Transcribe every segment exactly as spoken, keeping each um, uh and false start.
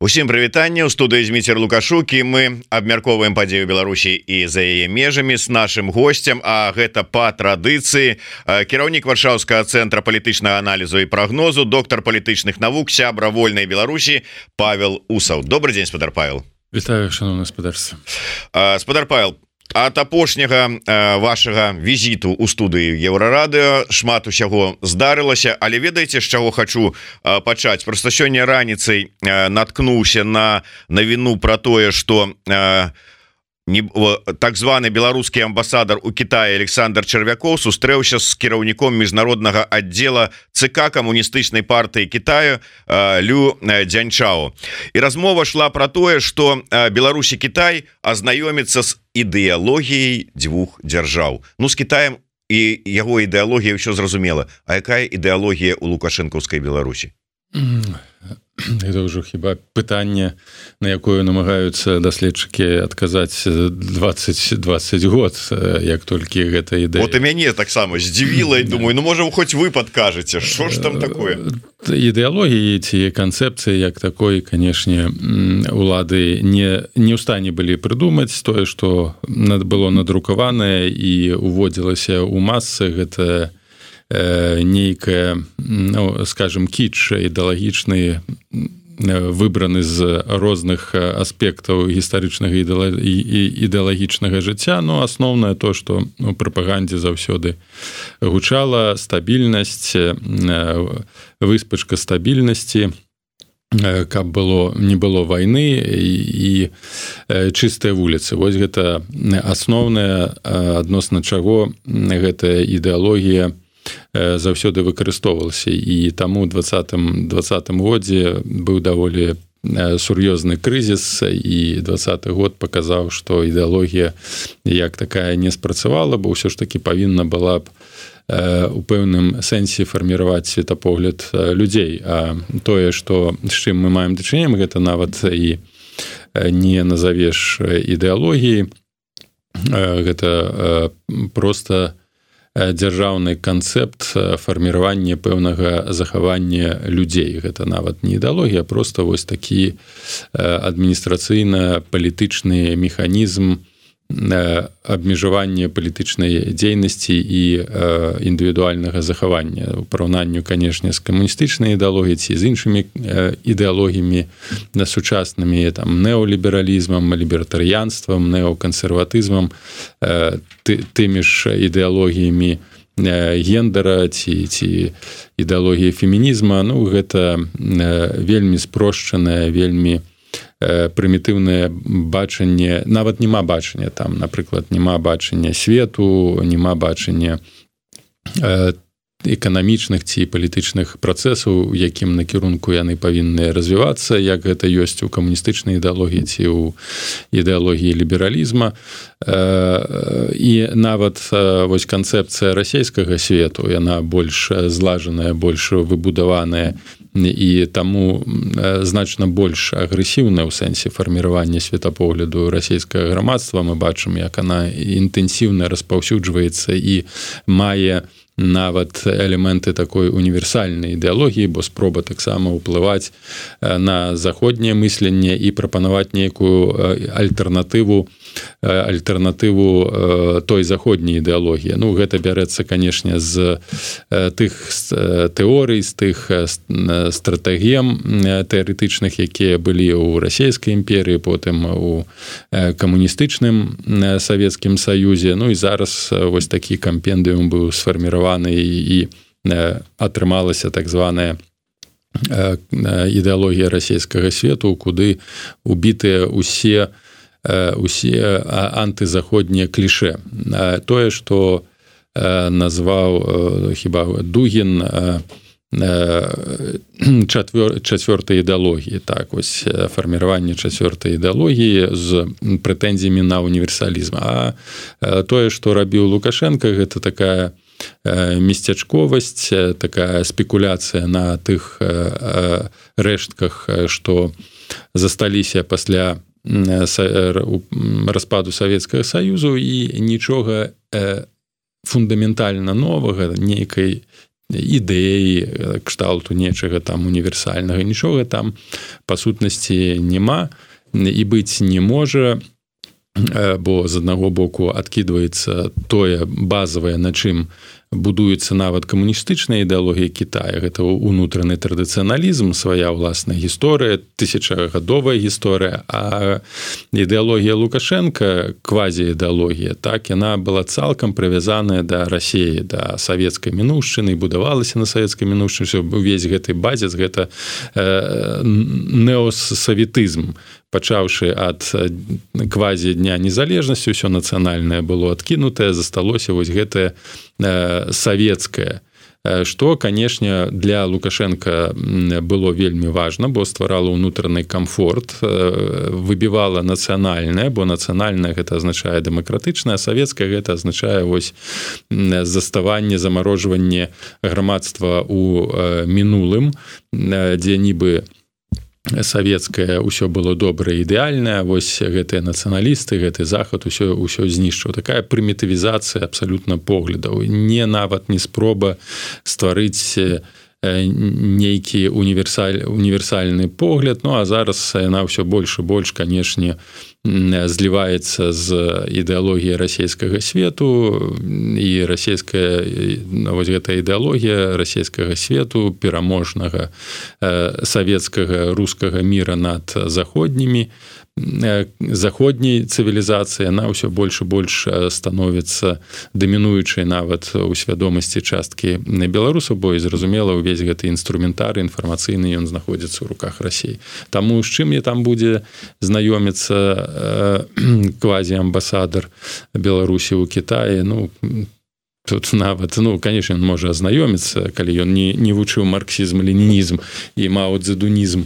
Усім прывітанне, у студыі Зміцер Лукашук, і мы абмяркоўваем падзею Беларусі і за яе межамі з нашым госцем, а гэта па традыцыі кіраўнік Варшаўскага цэнтра палітычнага аналізу і прагнозу, доктар палітычных навук, сябра вольнай Беларусі Павел Усаў. Добрый дзень, спадар Павел. Вітаю, шановне спадарство. Спадар Павел, ад апошняга э, вашага візіту ў студыі Еўрарадыё шмат усяго здарылася, але ведаеце, з чаго хачу э, пачаць? Проста сёння раніцай э, наткнуўся на навіну пра тое, што э, не, о, так званы беларускі амбасадар у Кітаі Александр Чарвякоў сустрэўся з кіраўніком міжнароднага аддзела ЦК камуністычнай партыі Кітаю э, Лю Дзяньчао. І размова шла пра тое, што э, Беларусь і Кітай азнаёміцца з ідэалогіяй дзвюх дзяржаў. Ну, з Кітаем і яго ідэалогія ўсё зразумела. А якая ідэалогія ў лукашэнкаўскай Беларусі? Это ўжо хіба пытанне, на якое намагаюцца даследчыкі адказаць двадцать двадцать год, як толькі гэта ідэя. Вот і мяне таксама здзівіла, і думаю, ну можа хоць вы падкажаце, што ж там такое? Ідэалогіі ці канцэпцыі як такой, канешне, улады не, не ў стане былі прыдумаць тое, што было надрукаванае і уводзілася ў масы, гэта нейкая, ну, скажем, кіч ідэалагічны, выбраны з розных аспектаў гістарычнага і ідэалагічнага жыцця, но асноўнае то, што у прапагандзе заўсёды гучала стабільнасць, выспачка стабільнасці, каб было, не было вайны і, і чыстыя вуліцы. Вось гэта асноўнае, адносна чаго гэтая ідэалогія заўсёды выкарыстоўвалася, і таму ў двадцатым годзе быў даволі сур'ёзны крызіс, і двадцаты год паказаў, што ідэалогія як такая не спрацавала, бо ўсё ж такі павінна была б у пэўным сэнсе фарміраваць светапогляд людзей. А тое, што з чым мы маем дачыненне, гэта нават і не назавеш ідэалогіі, гэта проста дзяржаўны канцэпт фарміравання пэўнага захавання людзей. Гэта нават не ідэалогія, а проста вось такі адміністрацыйна-палітычны механізм абмежавання палітычнай дзейнасці і індывідуальнага захавання. У параўнанню, канешне, з камуністычнай ідэалогіяй ці з іншымі ідэалогіямі сучаснымі, там, неолібералізмам, лібертарыянствам, неокансерватызмам, тымі ж ідэалогіямі гендера ці, ці ідэалогіі фемінізма. Ну, гэта вельмі спрошчанае, вельмі прымітыўнае бачанне, нават няма бачання там, напрыклад, няма бачання свету, няма бачання эканамічных ці палітычных працэсаў, у якім накірунку яны павінны развівацца, як гэта ёсць у камуністычнай ідэалогіі ці ў ідэалогіі лібералізма. І нават вось канцэпцыя расійскага свету, яна больш злажаная, больш выбудаваная, і таму значна больш агрэсіўная ў сэнсе фарміравання светапогляду расійскага грамадства. Мы бачым, як она інтэнсіўна распаўсюджваецца і мае нават элементы такой універсальнай ідэалогіі, бо спроба таксама ўплываць на заходняе мысленне і прапанаваць нейкую альтэрнатыву альтэрнатыву той заходняй ідэалогіі. Ну, гэта бярэцца, канешне, з тых тэорый, з тых стратэгем тэарэтычных, якія былі ў расійскай імперыі, потым у камуністычным Савецкім Саюзе. Ну і зараз вось такі кампендыум быў сфарміраваны і атрымалася так званая ідэалогія расійскага свету, куды убітыя усе усе антызаходнія кліше. Тое, што назваў хіба Дугін чацвёртай ідэалогіі, так, вось фарміраванне чацвёртай ідэалогіі з прэтэнзіямі на універсалізм. А тое, што рабіў Лукашенко, гэта такая месцячковасць, такая спекуляцыя на тых рэштках, што засталіся пасля распаду Савецкага Саюзу, і нічога фундаментальна новага, нейкай ідэі кшталту нечага там універсальнага, нічога там па сутнасці няма і быць не можа, бо з аднаго боку адкідваецца тое базавае, на чым будуецца нават камуністычная ідэалогія Китая, гэта унутраны традыцыяналізм, свая ўласная гісторыя, тысячагадовая гісторыя, а ідэалогія Лукашенка, квазіідэалогія, так, яна была цалкам прывязаная да Расіі, да савецкай мінуўшчыны, будавалася на савецкай мінуўшчыне, увесь гэты базіс, гэта э, неосавітызм, пачаўшы ад квазі дня незалежнасці, ўсё нацыянальнае было адкінутае, засталося вось гэтае э, савецкае, што, канешне, для Лукашенка было вельмі важна, бо стварала ўнутраны камфорт, выбівала нацыянальнае, бо нацыянальнае гэта азначае дэмакратычнае, а савецкае гэта азначае вось заставанне, замарожванне грамадства ў мінулым, дзе нібы савецкае ўсё было добрае, ідэальнае, вось гэтыя нацыяналісты, гэты захад усё ўсё знішчыў. Такая прымітывізацыя абсалютна поглядаў, не нават не спроба стварыць нейкі універсаль, універсальны погляд, ну а зараз яна ўсё больш і больш, канешне, зліваецца з ідэалогіяй расійскага свету, і расійская, вось гэтая ідэалогія расійскага свету, пераможнага савецкага рускага міра над заходнімі, заходняй цывілізацыі, яна ўсё больш і больш становіцца дамінуючай нават у свядомасці часткі беларусаў, бо і зразумела, увесь гэты інструментар інфармацыйны ён знаходзіцца ў руках Расіі. Таму з чым я там будзе знаёміцца квазі-амбасадар Беларусі ў Кітаі, ну, тут нават, ну, конечно, он можа азнаёміцца, калі ён не, не вучыў марксізм, ленінізм і мао-цзэдунізм,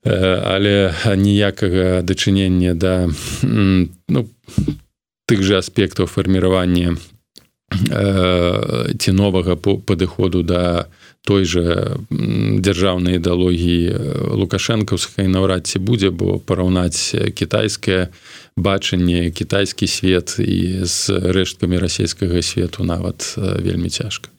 але ніякага дачынення да, ну, тых жа аспектаў фарміравання ці новага падыходу да той жа дзяржаўнай ідэалогіі лукашэнкаўскай наўрад ці будзе, бо параўнаць кітайскае бачанне, кітайскі свет і з рэшткамі расійскага свету нават вельмі цяжка.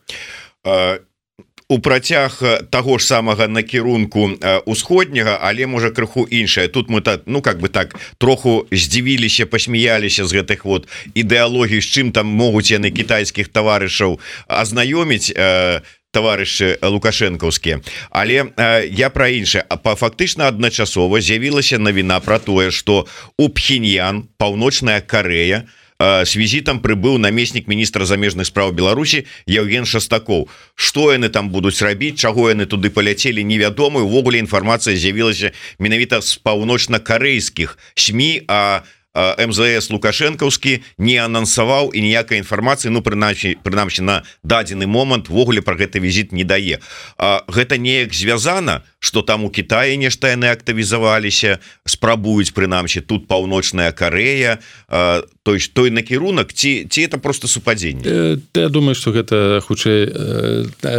У працяг таго ж самага накірунку усходняга, але можа крыху іншае. Тут мы так, ну как бы так троху здзівіліся, пасмяяліся з гэтых вот ідэалогій, з чым там могуць яны кітайскіх таварышаў азнаёміць э, таварышы лукашэнкаўскія. Але э, я пра іншае. А фактычна адначасова з'явілася навіна пра тое, што у Пхеньян, Паўночная Карэя, с візітам прыбыў намеснік міністра замежных спраў Беларусі Евген Шастакоў. Што яны там будуць рабіць, чаго яны туды паляцелі, невядома. Увогуле інфармацыя з'явілася менавіта з паўночна-карэйскіх СМІ, а эм зэ эс лукашэнкаўскі не анансаваў і ніякай інфармацыі, ну прынамсі, прынамсі на дадзены момант вогуле пра гэты візіт не дае. А, гэта неяк звязана, што там у Кітаі нешта яны актывізаваліся, спрабуюць прынамсі тут Паўночная Карэя, а, той, той накірунак, ці, ці это просто супадзенне? Я думаю, што гэта хутчэй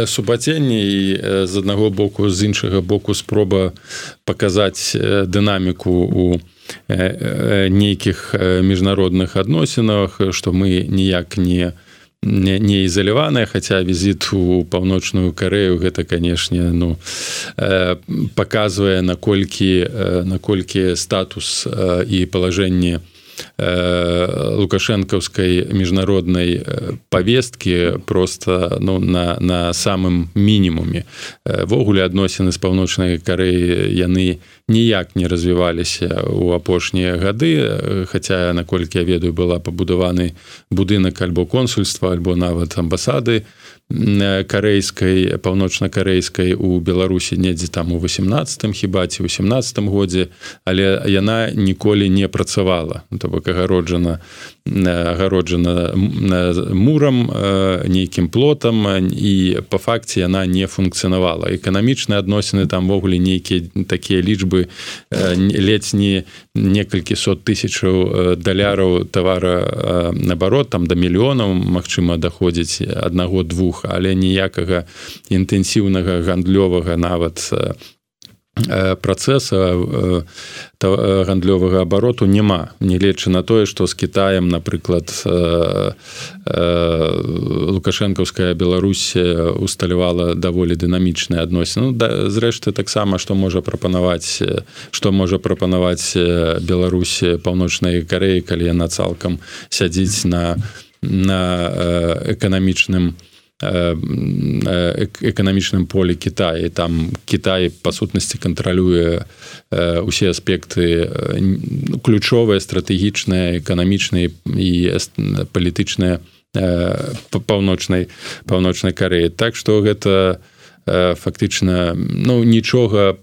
супадзенне і з аднаго боку, з іншага боку спроба паказаць дынаміку у нейкіх міжнародных адносінах, што мы ніяк не не, не ізаляваныя, хаця візіт у Паўночную Карэю гэта, канешне, ну, паказвае, наколькі, наколькі статус і палажэнне лукашэнкаўскай міжнароднай павесткі просто, ну, на, на самым мінімуме. Вогуле адносіны з Паўночнай Карэі яны ніяк не развіваліся ў апошнія гады, хаця, наколькі я ведаю, была пабудаваны будынак альбо консульства, альбо нават амбасады карэйскай, паўночна-карэйскай у Беларусі недзе там у восемнадцатым хіба ці ў сямнаццатым годзе, але яна ніколі не працавала. То бок агароджана, агароджана мурам, нейкім плотам, і па факце яна не функцыянавала. Эканамічныя адносіны там вогуле нейкія такія лічбы, ледзь не некалькі сот тысячаў даляраў тавара наоборот, там да мільёнаў, магчыма, даходзіць аднаго-двух, але ніякага інтэнсіўнага гандлёвага нават працэса гандлёвага абароту няма, не лечы на тое, што з Кітаем, напрыклад, лукашэнкаўская Беларусь усталявала даволі дынамічныя адносіны. Ну, да, зрэшты, таксама, што можа прапанаваць, што можа прапанаваць Беларусь Паўночнай Карэі, калі яна цалкам сядзіць на, на эканамічным эканамічным полі Китая. Там Китай па сутнасці кантралюе усе аспекты ключовыя, стратэгічныя, эканамічныя і палітычныя паўночнай паўночнай Карэі. Так што гэта фактычна, ну, нічога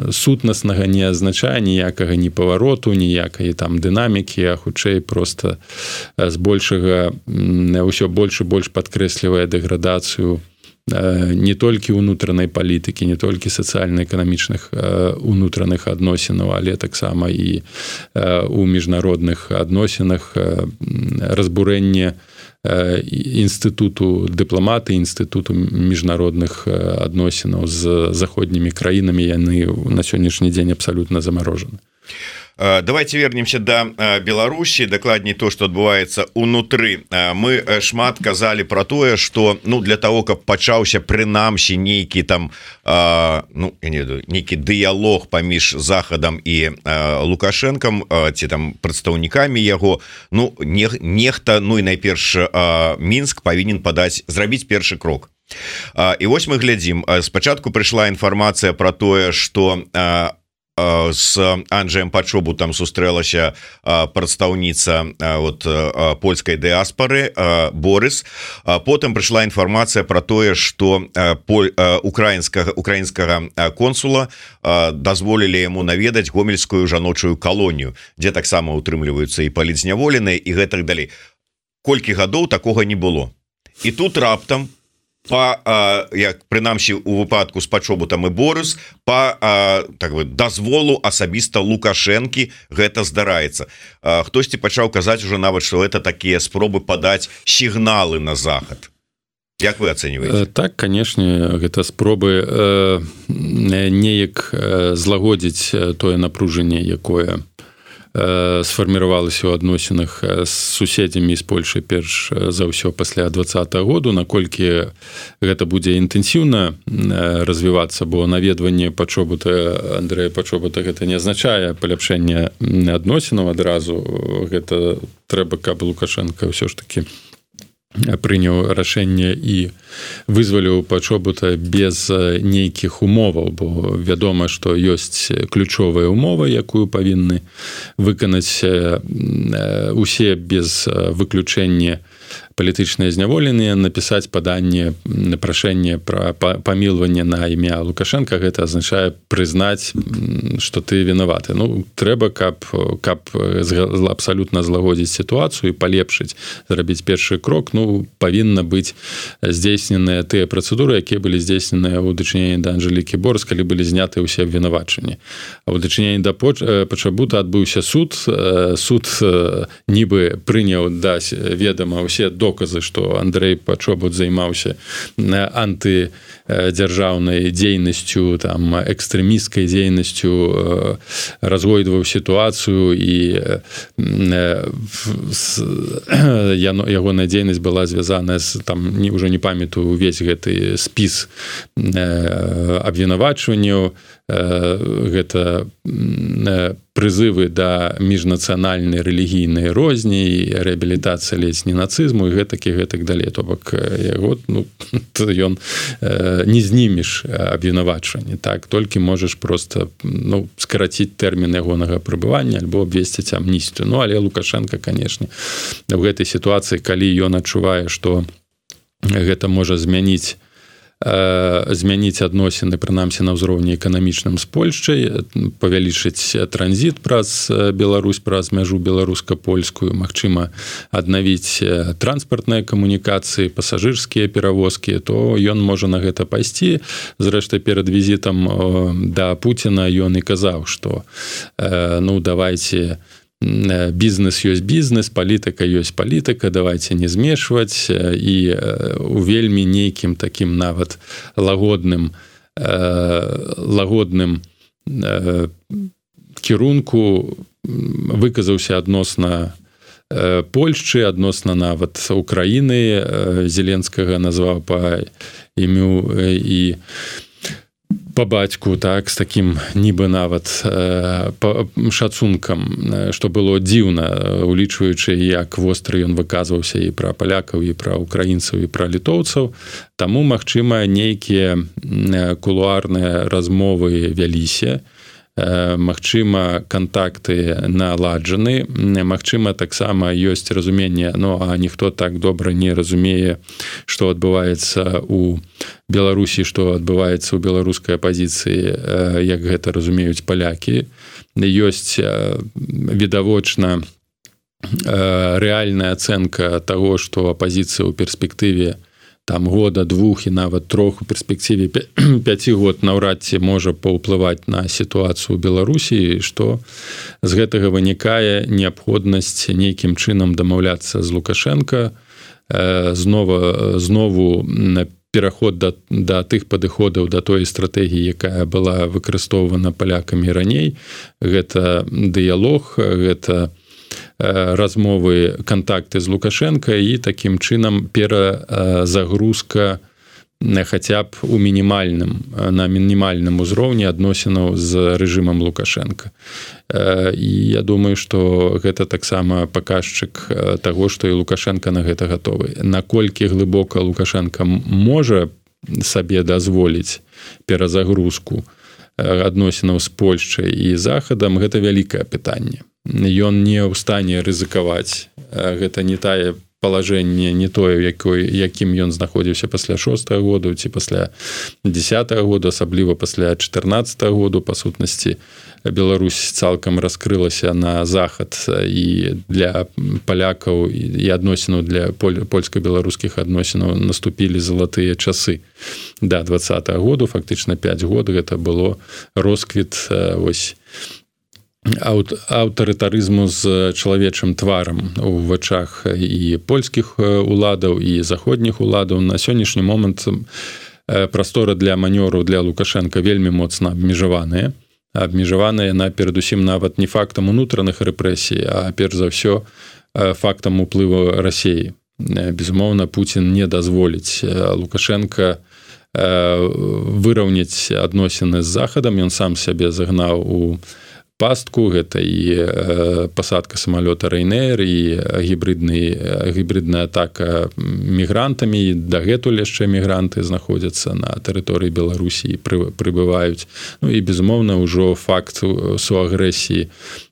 сутнаснага не азначае, ніякага ні павароту, ніякай там дынамікі, а хутчэй проста збольшага ўсё больш і больш падкрэслівае дэградацыю не толькі ўнутранай палітыкі, не толькі сацыяльна-эканамічных унутраных адносінаў, але таксама і ў міжнародных адносінах разбурэнне інстытуту дыпламаты, інстытуту міжнародных адносінаў з заходнімі краінамі, яны на сённяшні дзень абсалютна замарожаны. Давайте вернемся до Беларусі, дакладней то, што адбываецца ўнутры. Мы шмат казалі про тое, што, ну, для того, каб пачаўся прынамсі нейкі там ну, я не ведаю, нейкі дыялог паміж Захадам і Лукашэнкам ці там прадстаўнікамі яго, ну, нехта, ну і найперш Мінск павінен падаць, зрабіць першы крок. І вось мы глядзім, спачатку прыйшла інфармацыя про тое, што с Анджеем Пачобутам сустрэлася прадстаўніца вот польскай дыаспары Борис. Потым прыйшла інфармацыя про тое, што украінскага украінскага консула дазволілі яму наведаць гомельскую жаночую калонію, дзе таксама утрымліваюцца і палітзняволеныя і гэтак далей. Колькі гадоў такога не было. І тут раптам па, як прынамсі у выпадку з Пачобутам і Борис, па так бы дазволу асабіста Лукашэнкі гэта здараецца. Хтосьці пачаў казаць ужо нават, што гэта такія спробы падаць сігналы на Захад. Як вы ацэньваеце? Так, канешне, гэта спробы неяк злагодзіць тое напружанне, якое сфарміравалася ў адносінах з суседзямі з Польшай перш за ўсё пасля двадцатага году, наколькі гэта будзе інтэнсіўна развівацца, бо наведванне Пачобута, Андрэя Пачобута, гэта не азначае паляпшэнне адносінаў адразу. Гэта трэба, каб Лукашэнка ўсё ж такі прыняў рашэнне і вызваліў Пачобута без нейкіх умоваў, бо вядома, што ёсць ключовая умова, якую павінны выканаць усе без выключэння палітычныя зняволеныя, напісаць паданне на прашэнне пра памілванне на імя Лукашэнка. Гэта азначае прызнаць, што ты вінаваты. Ну, трэба, каб, каб абсалютна злагодзіць сітуацыю і палепшыць, зрабіць першы крок, ну, павінна быць здзейсненыя тыя працэдуры, якія былі здзейсненыя ў дачыненні да Анжэлікі Борис, калі былі зняты ўсе абвінавачанні. А ў дачыненні да Пачабута адбыўся суд. Суд нібы прыняў да ведама ўсе доказы, што Андрэй Пачобут займаўся антыдзяржаўнай дзейнасцю, там, экстрэмісцкай дзейнасцю, разгойдваў сітуацыю, і ягоная дзейнасць была звязаная з, там, ўжо не памятаю увесь гэты спіс абвінавачванняў, гэта прызывы да міжнацыянальнай рэлігійнай розні, рэабілітацыя ледзь не нацызму і гэтак і гэтак далей. То бок яго, ну, ён не знімеш абвінавачванне, так, толькі можаш проста, ну, скараціць тэрмін ягонага прыбывання альбо абвесціць амністыю. Ну, але Лукашэнка, канешне, в гэтай сітуацыі, калі ён адчувае, што гэта можа змяніць змяніць адносіны, прынамсі, на ўзроўні эканамічным з Польшчай, павялічыць транзіт праз Беларусь, праз мяжу беларуска-польскую, магчыма, аднавіць транспартныя камунікацыі, пасажырскія перавозкі, то ён можа на гэта пайсці. Зрэшты, перад візітам да Пуціна ён і казаў, што, ну, давайце, бізнес ёсць бізнес, палітыка ёсць палітыка, давайте не змешваць, і у вельмі нейкім такім нават лагодным лагодным кірунку выказаўся адносна Польшчы, адносна нават Украіны. Зеленскага назваў па імю і па бацьку, так, з такім нібы нават шацункам, што было дзіўна, улічваючы, як востры ён выказваўся і пра палякаў, і пра украінцаў, і пра літоўцаў. Таму, магчыма, нейкія кулуарныя размовы вяліся, магчыма, кантакты наладжаны, магчыма, таксама ёсць разуменне, ну, а ніхто так добра не разумее, што адбываецца ў Беларусі, што адбываецца ў беларускай апазіцыі, як гэта разумеюць палякі. Ёсць відавочна рэальная ацэнка таго, што апазіцыя ў перспектыве там года, двух і нават трох у перспектыве пяці год наўрад ці можа паўплываць на сітуацыю ў Беларусі, што з гэтага вынікае неабходнасць нейкім чынам дамаўляцца з Лукашенко, знова, знову пераход да, да тых падыходаў, да той стратэгіі, якая была выкарыстоўвана палякамі раней. Гэта дыялог, гэта размовы, кантакты з Лукашенко і такім чынам перазагрузка хаця б у мінімальным, на мінімальным узроўні адносінаў з рэжымам Лукашенко. І я думаю, што гэта таксама паказчык таго, што і Лукашенко на гэта гатовы. Наколькі глыбока Лукашенко можа сабе дазволіць перазагрузку адносінаў з Польшчай і Захадам, гэта вялікае пытанне. Ён не ў стане рызыкаваць. Гэта не тае палажэнне, не тое, якой, якім ён знаходзіўся пасля шостага году ці пасля дзесятага году, асабліва пасля чатырнаццатага году. Па сутнасці, Беларусь цалкам раскрылася на захад, і для палякаў і адносінаў для польска-беларускіх адносінаў наступілі залатыя часы. Да двадцатага году, фактычна пяць год, гэта было росквіт вось аўтарытарызму з чалавечым тварам у вачах і польскіх уладаў, і заходніх уладаў. На сённяшні момант прастора для манёру для Лукашенка вельмі моцна абмежаваная. Абмежаваная яна перадусім нават не фактам унутраных рэпрэсій, а перш за ўсё фактам уплыву Расіі. Безумоўна, Пуцін не дазволіць Лукашенка выраўняць адносіны з Захадам. Ён сам сябе загнаў у пастку, гэта і пасадка самалёта Ryanair, і гібридны, гібридная атака мігрантамі. Дагэтуль яшчэ мігранты знаходзяцца на тэрыторыі Беларусі і прыбываюць. Ну і, безумоўна, ўжо факт суагрэсіі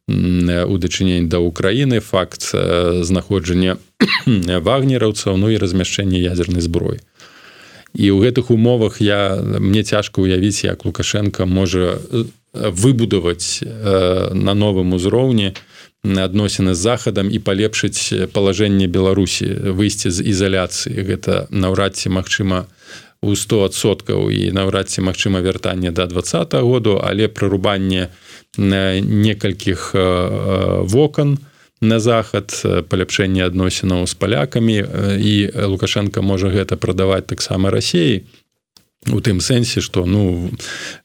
у дачыненні да Украіны, факт знаходжання вагнераўцаў, ну і размяшчэнне ядзернай зброі. І ў гэтых умовах я, мне цяжка ўявіць, як Лукашенко можа выбудаваць на новым узроўні адносіны з Захадам і палепшыць палажэнне Беларусі, выйсці з ізаляцыі. Гэта наўрад ці магчыма у сто адсоткаў і наўрад ці магчыма вяртанне да двадцатага году, але прырубанне некалькіх вокон на захад, паляпшэнне адносінаў з палякамі, і Лукашенко можа гэта прадаваць таксама Расіі. У тым сэнсе, што ну,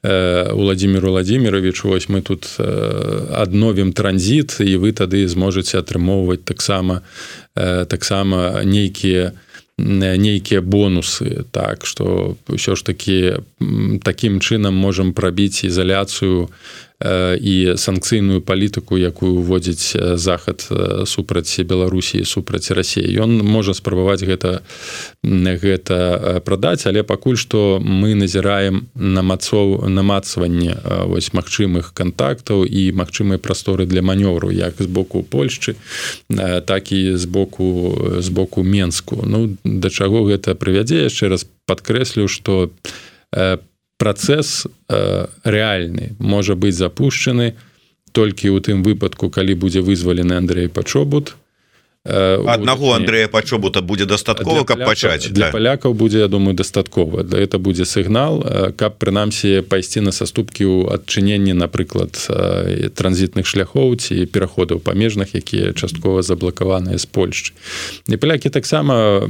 Уладзімір Уладзімірович, вось мы тут адновім транзіт, і вы тады зможаце атрымоўваць таксама, таксама нейкія, нейкія бонусы. Так, што ўсё ж такі такім чынам можам прабіць ізаляцыю і санкцыйную палітыку, якую уводзіць Захад супраць Беларусі, супраць Расіі. Ён можа спрабаваць гэта, гэта прадаць, але пакуль што мы назіраем намацоў, намацванне вось магчымых кантактаў і магчымай прасторы для манёвру, як з боку Польшчы, так і з боку, з боку Менску. Ну, да чаго гэта прывядзе? Яшчэ раз падкрэслю, што працэс э, рэальны можа быць запушчаны толькі ў тым выпадку, калі будзе вызвалены Андрэй Пачобут. Э, Аднаго Андрэя Пачобута будзе дастаткова, каб пачаць. Для да. палякаў будзе, я думаю, дастаткова. Гэта будзе сігнал, каб прынамсі пайсці на саступкі ў адчыненні, напрыклад, транзітных шляхоў ці пераходаў памежных, якія часткова заблакаваныя з Польшчы. І палякі таксама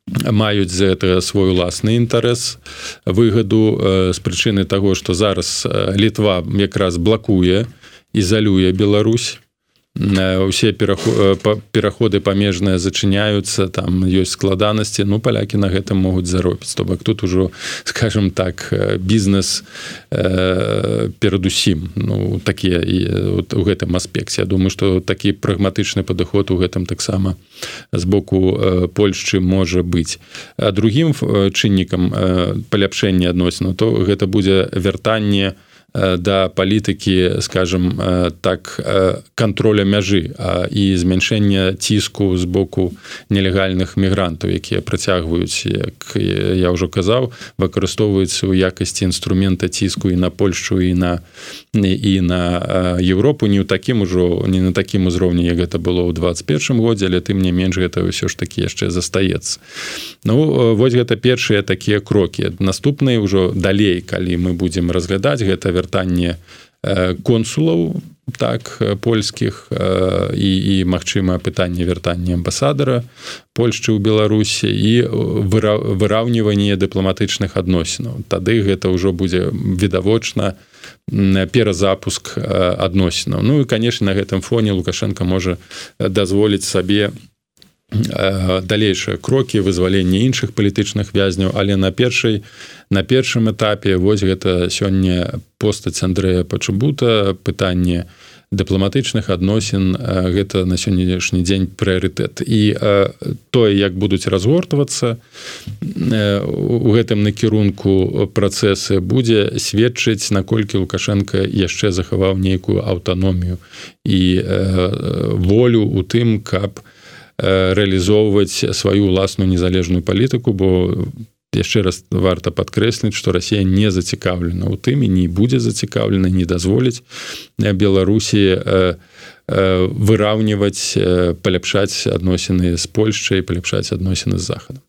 маюць за гэта свой уласны інтарэс, выгаду з прычыны таго, што зараз Літва якраз блакуе, ізалюе Беларусь. Усе пераходы памежныя зачыняюцца, там ёсць складанасці, ну палякі на гэтым могуць заробіць. То бок тут ужо, скажем так, бізнес э, перадусім, ну такія у гэтым аспекце. Я думаю, што такі прагматычны падыход у гэтым таксама з боку Польшчы можа быць. А другім чыннікам паляпшэння адносінаў, то гэта будзе вяртанне да палітыкі, скажем так, контроля мяжы і змяншэння ціску з боку нелегальных мігрантаў, якія працягваюць, як я ўжо казаў, выкарыстоўваюцца ў якасці інструмента ціску і на Польшчу, і на, і на Еўропу, не ў такім ужо, не на такім узроўні, як гэта было ў двадцать першым годзе, але тым не менш гэта ўсё ж такі яшчэ застаецца. Ну, вось гэта першыя такія крокі. Наступныя ўжо далей, калі мы будзем разглядаць гэта вяртанне консулаў, так, польскіх і, і магчыма, пытанне вяртання амбасадара Польшчы ў Беларусі і выраўніванне дыпламатычных адносінаў. Тады гэта ўжо будзе відавочна перазапуск адносінаў. Ну і, канешне, на гэтым фоне Лукашенко можа дазволіць сабе далейшыя крокі вызвалення іншых палітычных вязняў, але на першай на першым этапе вось гэта сёння постаць Андрэя Пачабута, пытанне дыпламатычных адносін, гэта на сённяшні дзень прыярытэт. І тое, як будуць разгортвацца у гэтым накірунку працэсы, будзе сведчыць, наколькі Лукашенко яшчэ захаваў нейкую аўтаномію і волю ў тым, каб рэалізоўваць сваю ўласную незалежную палітыку, бо яшчэ раз варта падкрэсліць, што Расія не зацікаўлена ў тым і не будзе зацікаўлена, не дазволіць Беларусі выраўніваць, паляпшаць адносіны з Польшчай, паляпшаць адносіны з Захадам.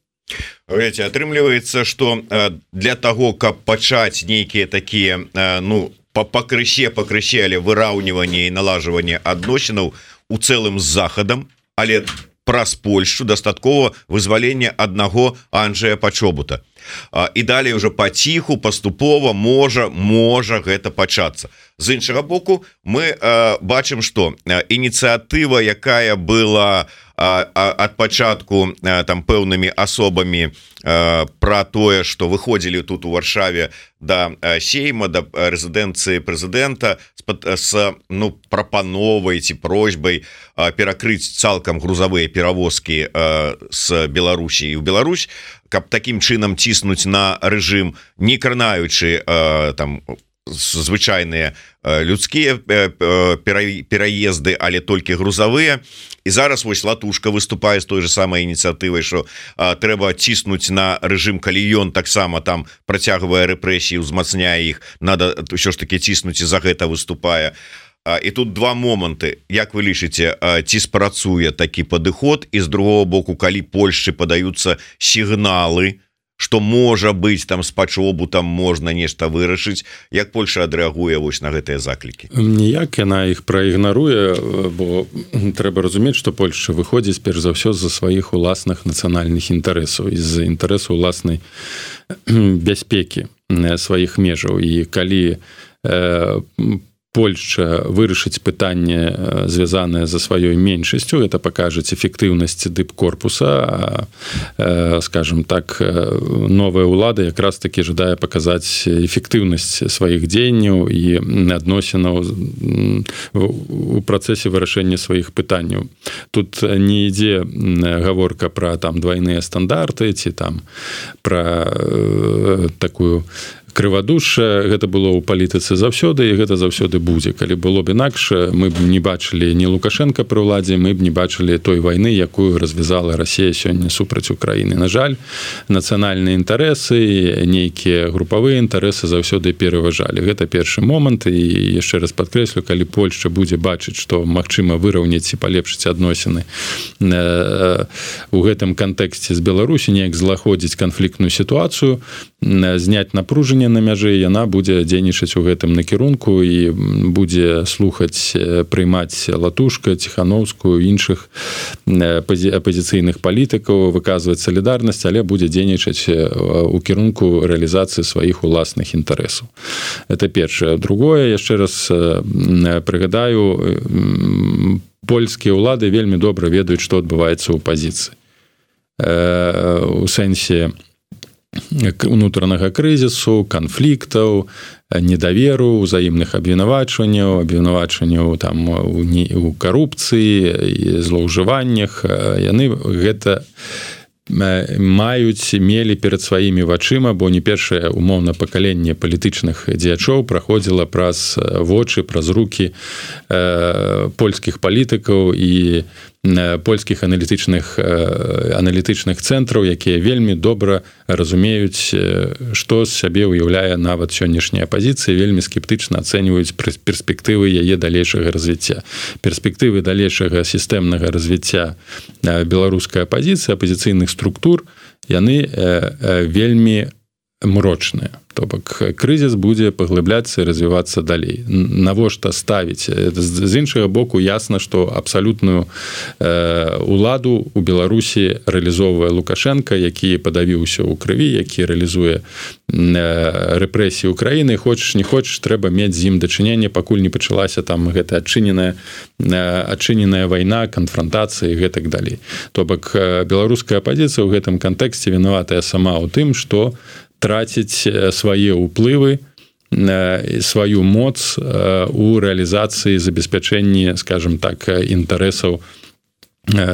Ведаеце, атрымліваецца, што для таго, каб пачаць нейкія такія, ну, пакрысе, пакрысе, але выраўніванне і налажванне адносінаў у цэлым з Захадам, але праз Польшчу дастаткова вызвалення аднаго Анджэя Пачобута. І далей уже паціху, паступова можа, можа гэта пачацца. З іншага боку, мы бачым, што ініцыятыва, якая была ад пачатку там пэўнымі асобамі пра тое, што выходзілі тут у Варшаве да сейма, да рэзідэнцыі прэзідэнта з, ну, прапановай ці просьбай перакрыць цалкам грузавыя перавозкі з Беларусі і ў Беларусь, каб такім чынам ціснуць на рэжым, не кранаючы там звычайныя людскія пераезды, але толькі грузавыя. І зараз вось Латушка выступае з той же самай ініцыятывай, што трэба ціснуць на рэжым, калі ён таксама там працягвае рэпрэсіі, узмацняе іх, надо ўсё ж таки ціснуць, і за гэта выступае. І тут два моманты. Як вы лічыце, ці спрацуе такі падыход, і з другого боку, калі Польшчы падаюцца сігналы, што можа быць там з Пачобутам можна нешта вырашыць, як Польша адрэагуе вось на гэтыя заклікі? Ніяк яна іх праігнаруе, бо трэба разумець, што Польшча выходзіць перш за ўсё з-за сваіх уласных нацыянальных інтарэсаў, з-за інтарэсу ўласнай бяспекі сваіх межаў. І калі Польшча вырашыць пытанне, звязанае за сваёй меншасцю, это пакажаць эфектыўнасць дыпкорпуса, скажем так, новая ўлада якраз таки жадае паказаць эфектыўнасць сваіх дзеянняў і адносінаў у працэсе вырашэння сваіх пытанняў. Тут не ідзе гаворка пра там двайныя стандарты ці там пра такую крывадушша. Гэта было ў палітыцы заўсёды, і гэта заўсёды будзе. Калі было б інакш, мы б не бачылі ні Лукашенка пры ўладзе, мы б не бачылі той вайны, якую развязала Расія сёння супраць Украіны. На жаль, нацыянальныя інтарэсы, нейкія групавыя інтарэсы заўсёды пераважалі. Гэта першы момант, і яшчэ раз падкрэслю, калі Польшча будзе бачыць, што магчыма выраўняць і палепшыць адносіны у гэтым кантэксце з Беларусі, неяк злагодзіць канфліктную сітуацыю, зняць напружанне на мяжы, яна будзе дзейнічаць у гэтым накірунку і будзе слухаць, прыймаць Латушка, Ціхановскую, іншых апазіцыйных палітыкаў, выказваць салідарнасць, але будзе дзейнічаць у кірунку рэалізацыі сваіх уласных інтарэсаў. Это першае. Другое, яшчэ раз прыгадаю, польскія ўлады вельмі добра ведаюць, што адбываецца ў пазіцыі. У сэнсе унутранага крызісу, канфліктаў, недаверу, узаемных абвінавачванняў, абвінавачванняў там у карупцыі і злоўжываннях. Яны гэта маюць, мелі перад сваімі вачыма, бо не першае умоўна пакаленне палітычных дзеячоў праходзіла праз вочы, праз рукі польскіх палітыкаў і польскіх аналітычных аналітычных цэнтраў, якія вельмі добра разумеюць, што з сябе ўяўляе нават сённяшняя апазіцыя, вельмі скептычна ацэньваюць перспектывы яе далейшага развіцця. Перспектывы далейшага сістэмнага развіцця беларускай апазіцыі, апазіцыйных структур, яны вельмі мрочныя. То бок крызіс будзе паглыбляцца і развівацца далей. Навошта ставіць? З іншага боку, ясна, што абсалютную уладу у Беларусі рэалізоўвае Лукашенко, які падавіўся ў крыві, які рэалізуе рэпрэсіі ўкраіны. Хочаш, не хочаш, трэба мець з ім дачыненне, пакуль не пачалася там гэта адчыненая, адчыненая вайна, канфрантацыя і гэтак далей. То бок беларуская апазіцыя ў гэтым кантэксце вінаватая сама ў тым, што траціць свае ўплывы, сваю моц у рэалізацыі, забеспячэнні, скажем так, інтарэсаў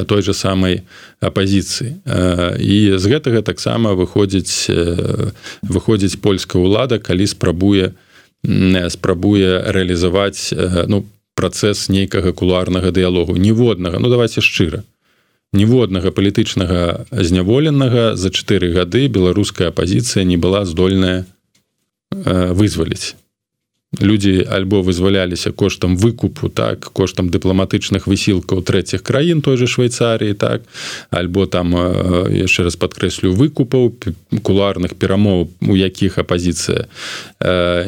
той же самай апазіцыі. І з гэтага таксама выходзіць, выходзіць польская ўлада, калі спрабуе, спрабуе рэалізаваць ну, працэс нейкага кулуарнага дыялогу. Ніводнага, ну давайце шчыра, ніводнага палітычнага зняволенага за чатыры гады беларуская апазіцыя не была здольная вызваліць. Людзі альбо вызваляліся коштам выкупу, так, коштам дыпламатычных высілкаў трэціх краін, той же Швейцарыі, так, альбо там, яшчэ раз падкрэслю, выкупаў, кулуарных перамоў, у якіх апазіцыя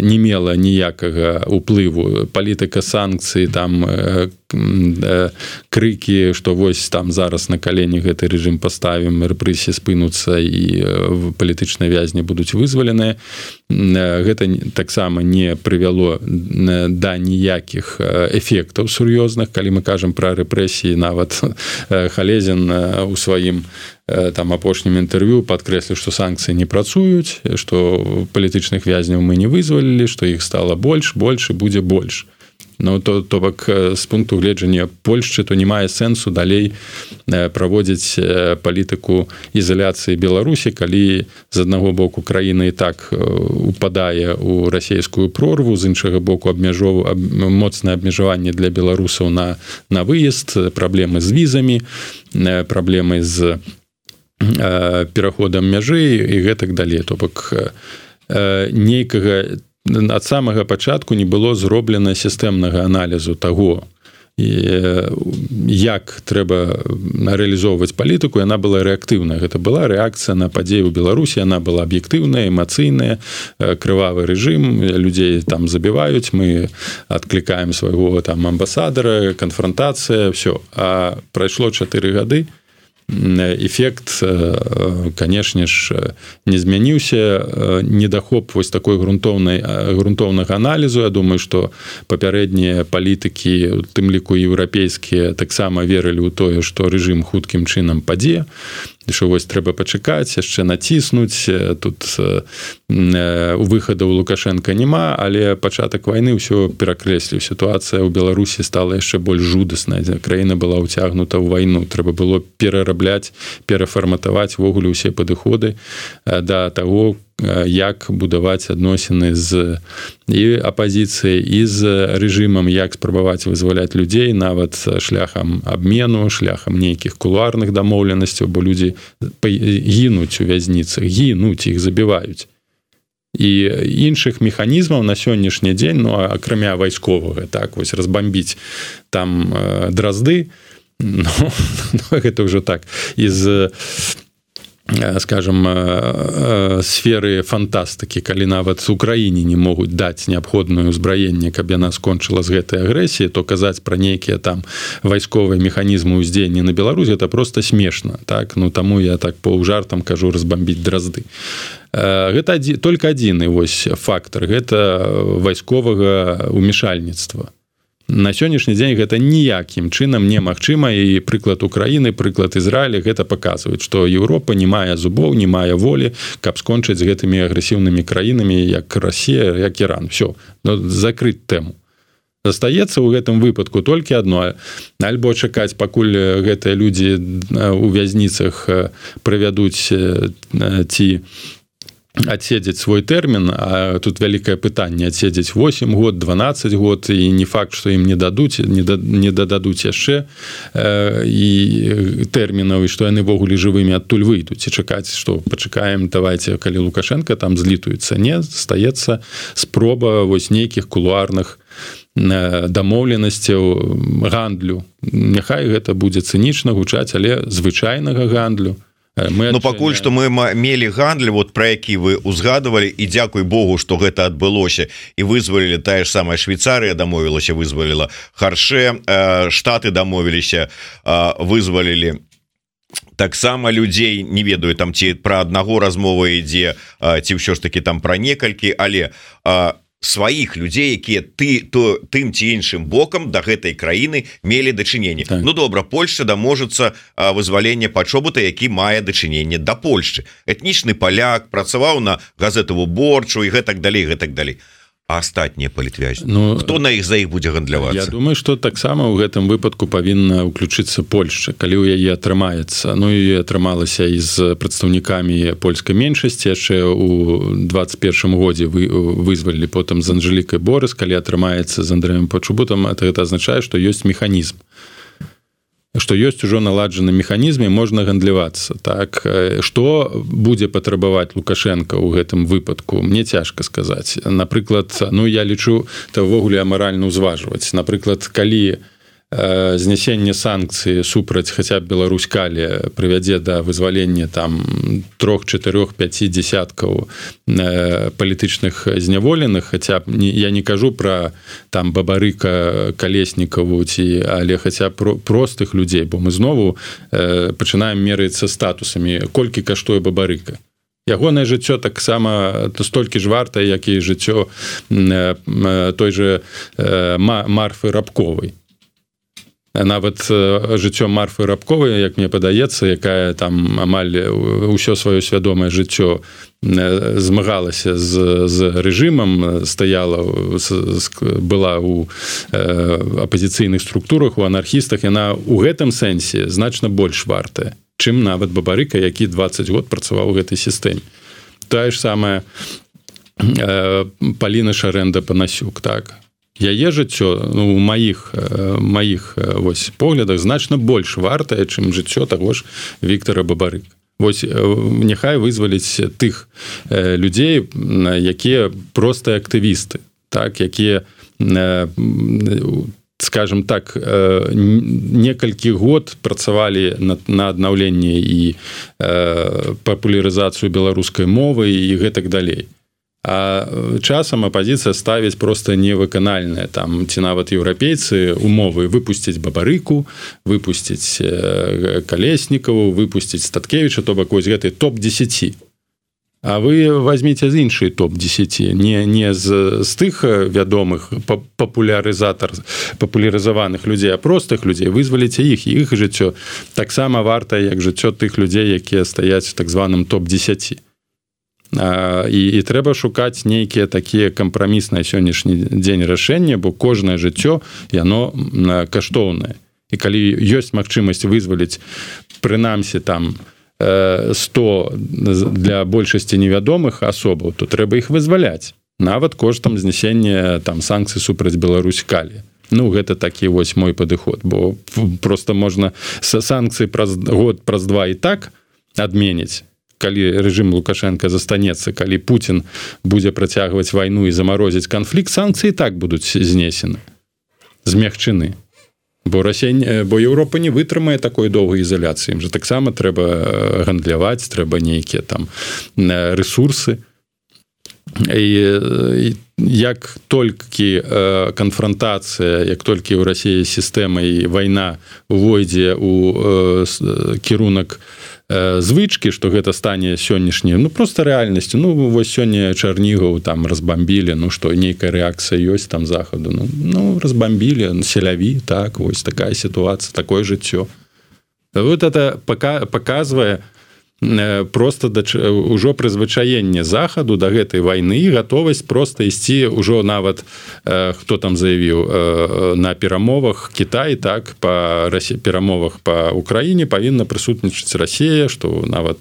не мела ніякага ўплыву, палітыка санкцый, там, крыкі, што вось там зараз на калені гэты рэжым паставім, рэпрэсіі спынуцца і палітычныя вязні будуць вызваленыя. Гэта таксама не прывяло да ніякіх эфектаў сур'ёзных, калі мы кажам пра рэпрэсіі. Нават Халезін у сваім там апошнім інтэрв'ю падкрэсліў, што санкцыі не працуюць, што палітычных вязняў мы не вызвалілі, што іх стала больш, больш і будзе больш. Ну, то, то бок з пункту гледжання Польшчы, то не мае сэнсу далей праводзіць палітыку ізаляцыі Беларусі, калі з аднаго боку краіна і так упадае ў расійскую прорву, з іншага боку абмяжоў, аб, моцнае абмежаванне для беларусаў на, на выезд, праблемы з візамі, праблемы з э, пераходам мяжы і гэтак далей. То бок э, нейкага ад самага пачатку не было зроблена сістэмнага аналізу таго, як трэба рэалізоўваць палітыку. Яна была рэактыўная. Гэта была рэакцыя на падзеі ў Беларусі, яна была аб'ектыўная, эмацыйная, крывавы рэжым, людзей там забіваюць, мы адклікаем свайго там амбасадара, канфрантацыя, ўсё. А прайшло чатыры гады, эфект, канешне ж, не змяніўся. Недахоп вось такой грунтоўнай, грунтоўнага аналізу. Я думаю, што папярэднія палітыкі, у тым ліку еўрапейскія, таксама верылі ў тое, што рэжым хуткім чынам падзе, што вось трэба пачакаць, яшчэ націснуць. Тут у выхаду ў Лукашенка няма, але пачатак вайны ўсё перакрэсліў. Сітуацыя ў Беларусі стала яшчэ больш жудасная. Краіна была ўцягнута ў вайну. Трэба было перарабляць, перафарматаваць ввогуле ўсе падыходы да таго, як будаваць адносіны з і апазіцыяй, і з рэжымам, як спрабаваць вызваляць людзей нават шляхам абмену, шляхам нейкіх кулуарных дамоўленасцяў, бо людзі гінуць у вязніцах, гінуць, іх забіваюць. І іншых механізмаў на сённяшні дзень, ну, акрамя вайсковага, так, вось разбамбіць там дразды, ну, гэта ўжо так, з скажем, сферы фантастыкі, калі нават у краіне не могуць даць неабходнае ўзбраенне, каб яна скончыла з гэтай агрэсіі, то казаць пра нейкія там вайсковыя механізмы ўздзеяння на Беларусь, это просто смешна, так? Ну, таму я так паўжартам кажу разбамбіць дразды. Гэта адзі, только адзіны вось фактор, гэта вайсковага ўмешальніцтва. На сённяшні дзень гэта ніякім чынам немагчыма, і прыклад Украіны, прыклад Ізраіля гэта паказваюць, што Еўропа не мае зубоў, не мае волі, каб скончыць з гэтымі агрэсіўнымі краінамі, як Расія, як Іран. Всё, ну, закрыць тэму. Застаецца ў гэтым выпадку толькі адно, альбо чакаць, пакуль гэтыя людзі у вязніцах правядуць ці адседзець свой тэрмін, а тут вялікае пытанне, адседзець восемь год, дванаццаць год, і не факт, што ім не дадуць, не, да, не дададуць яшчэ э, і тэрмінаў, і што яны ввогуле жывымі адтуль выйдуць, і чакаць, што пачакаем, давайте, калі Лукашенко там злітуецца. Не, стаецца спроба вось нейкіх кулуарных дамоўленасцяў, гандлю. Няхай гэта будзе цынічна гучаць, але звычайнага гандлю. Ну, пакуль што мы мелі гандль, вот пра які вы узгадывалі, і дзякуй Богу, што гэта адбылося, і вызвалілі, тая ж самая Швейцарыя дамовілася, вызваліла Харше, Штаты дамовіліся, вызвалілі таксама людзей, не ведаю, там ці пра аднаго размова ідзе, ці ўсё ж такі там пра некалькі, але сваіх людзей, якія ты то тым ці іншым бокам да гэтай краіны мелі дачыненне. Так. Ну добра, Польшча даможацца вызвалення Пачобута, які мае дачыненне да Польшчы. Этнічны паляк, працаваў на газету Выборчу і гэтак далей, гэтак далей. А астатнія палітвязні, ну, хто на іх за іх будзе гандлявацца? Я думаю, што таксама ў гэтым выпадку павінна ўключыцца Польшча, калі ў яе атрымаецца. Ну і атрымалася і з прадстаўнікамі польскай меншасці, яшчэ ў двадцать першым годзе вы, вызвалілі потым з Анжэлікай Борыс, калі атрымаецца з Андрэем Пачобутам, гэта азначае, што ёсць механізм. Што ёсць ужо наладжаны механізм і можна гандлявацца. Так, што будзе патрабаваць Лукашенко ў гэтым выпадку, мне цяжка сказаць. Напрыклад, ну я лічу, то ўвогуле амаральна ўзважваць. Напрыклад, калі э, знясенне санкцыі супраць хаця б Беларусь-Калі прывядзе да вызвалення там трох, чатырох, пяці дзясяткаў э, палітычных зняволеных, хаця б не, я не кажу пра там Бабарыка, Калеснікаву ці, але хаця б про, простых людзей, бо мы знову э, пачынаем мерыцца статусамі, колькі каштуе Бабарыка. Ягонае жыццё таксама столькі ж варта, як і жыццё э, той же э, Марфы Рабковай. Нават жыццё Марфы Рабковай, як мне падаецца, якая там амаль усё сваё свядомае жыццё змагалася з, з рэжымам, стаяла, была ў апазіцыйных структурах, у анархістах, яна ў гэтым сэнсе значна больш вартая, чым нават Бабарыка, які дваццаць год працаваў у гэтай сістэме. Тая ж самая Паліна Шарэнда-Панасюк, так. Яе жыццё, ну, у маіх, маіх вось, поглядах значна больш вартае, чым жыццё таго ж Віктара Бабарыка. Вось, няхай вызваліць тых людзей, якія простыя актывісты, так, якія, скажем так, некалькі год працавалі на, на аднаўленне і папулярызацыю беларускай мовы і гэтак далей. А часам апазіцыя ставіць проста невыканальныя, там, ці нават еўрапейцы умовы выпусціць Бабарыку, выпусціць Калеснікаву, выпусціць Статкевіча, то бок вось гэты топ дзесяці. А вы возьміце з іншай топ дзесяці, не, не з, з тых вядомых папулярызатар, папулярызаваных людзей, а простых людзей, вызваліце іх, і іх жыццё таксама варта, як жыццё тых людзей, якія стаяць у так званым топ дзесяці. І, і трэба шукаць нейкія такія кампрамісныя сённяшні дзень рашэння, бо кожнае жыццё яно каштоўнае. І калі ёсць магчымасць вызваліць прынамсі там сто для большасці невядомых асобаў, то трэба іх вызваляць. Нават коштам знясення там санкцый супраць Беларусь-Калі. Ну, гэта такі вось мой падыход, бо проста можна санкцыі праз год, праз два і так адменіць. Калі рэжым Лукашенко застанецца, калі Путін будзе працягваць вайну і замарозіць канфлікт, санкцыі так будуць знесены, змягчены. бо Расія, бо Еўропа не вытрымае такой доўгай ізаляцыі. Ім жа таксама трэба гандляваць, трэба нейкія там рэсурсы. І, і як толькі канфронтацыя, як толькі ў Расіі сістэма і вайна увойдзе ў кірунак звычкі, што гэта стане сённяшняй, ну просто рэальнасцю. Ну вось сёння Чарнігаў там разбамбілі, ну што нейкая рэакцыя ёсць там захаду. Ну, ну разбамбілі, селяві, так, вось такая сітуацыя, такое жыццё. Вот это паказвае просто да, ўжо прызвычаенне захаду да гэтай вайны і гатовасць просто ісці ўжо нават хто там заявіў на перамовах Кітай, так па перамовах па Украіне павінна прысутнічаць Расія, што нават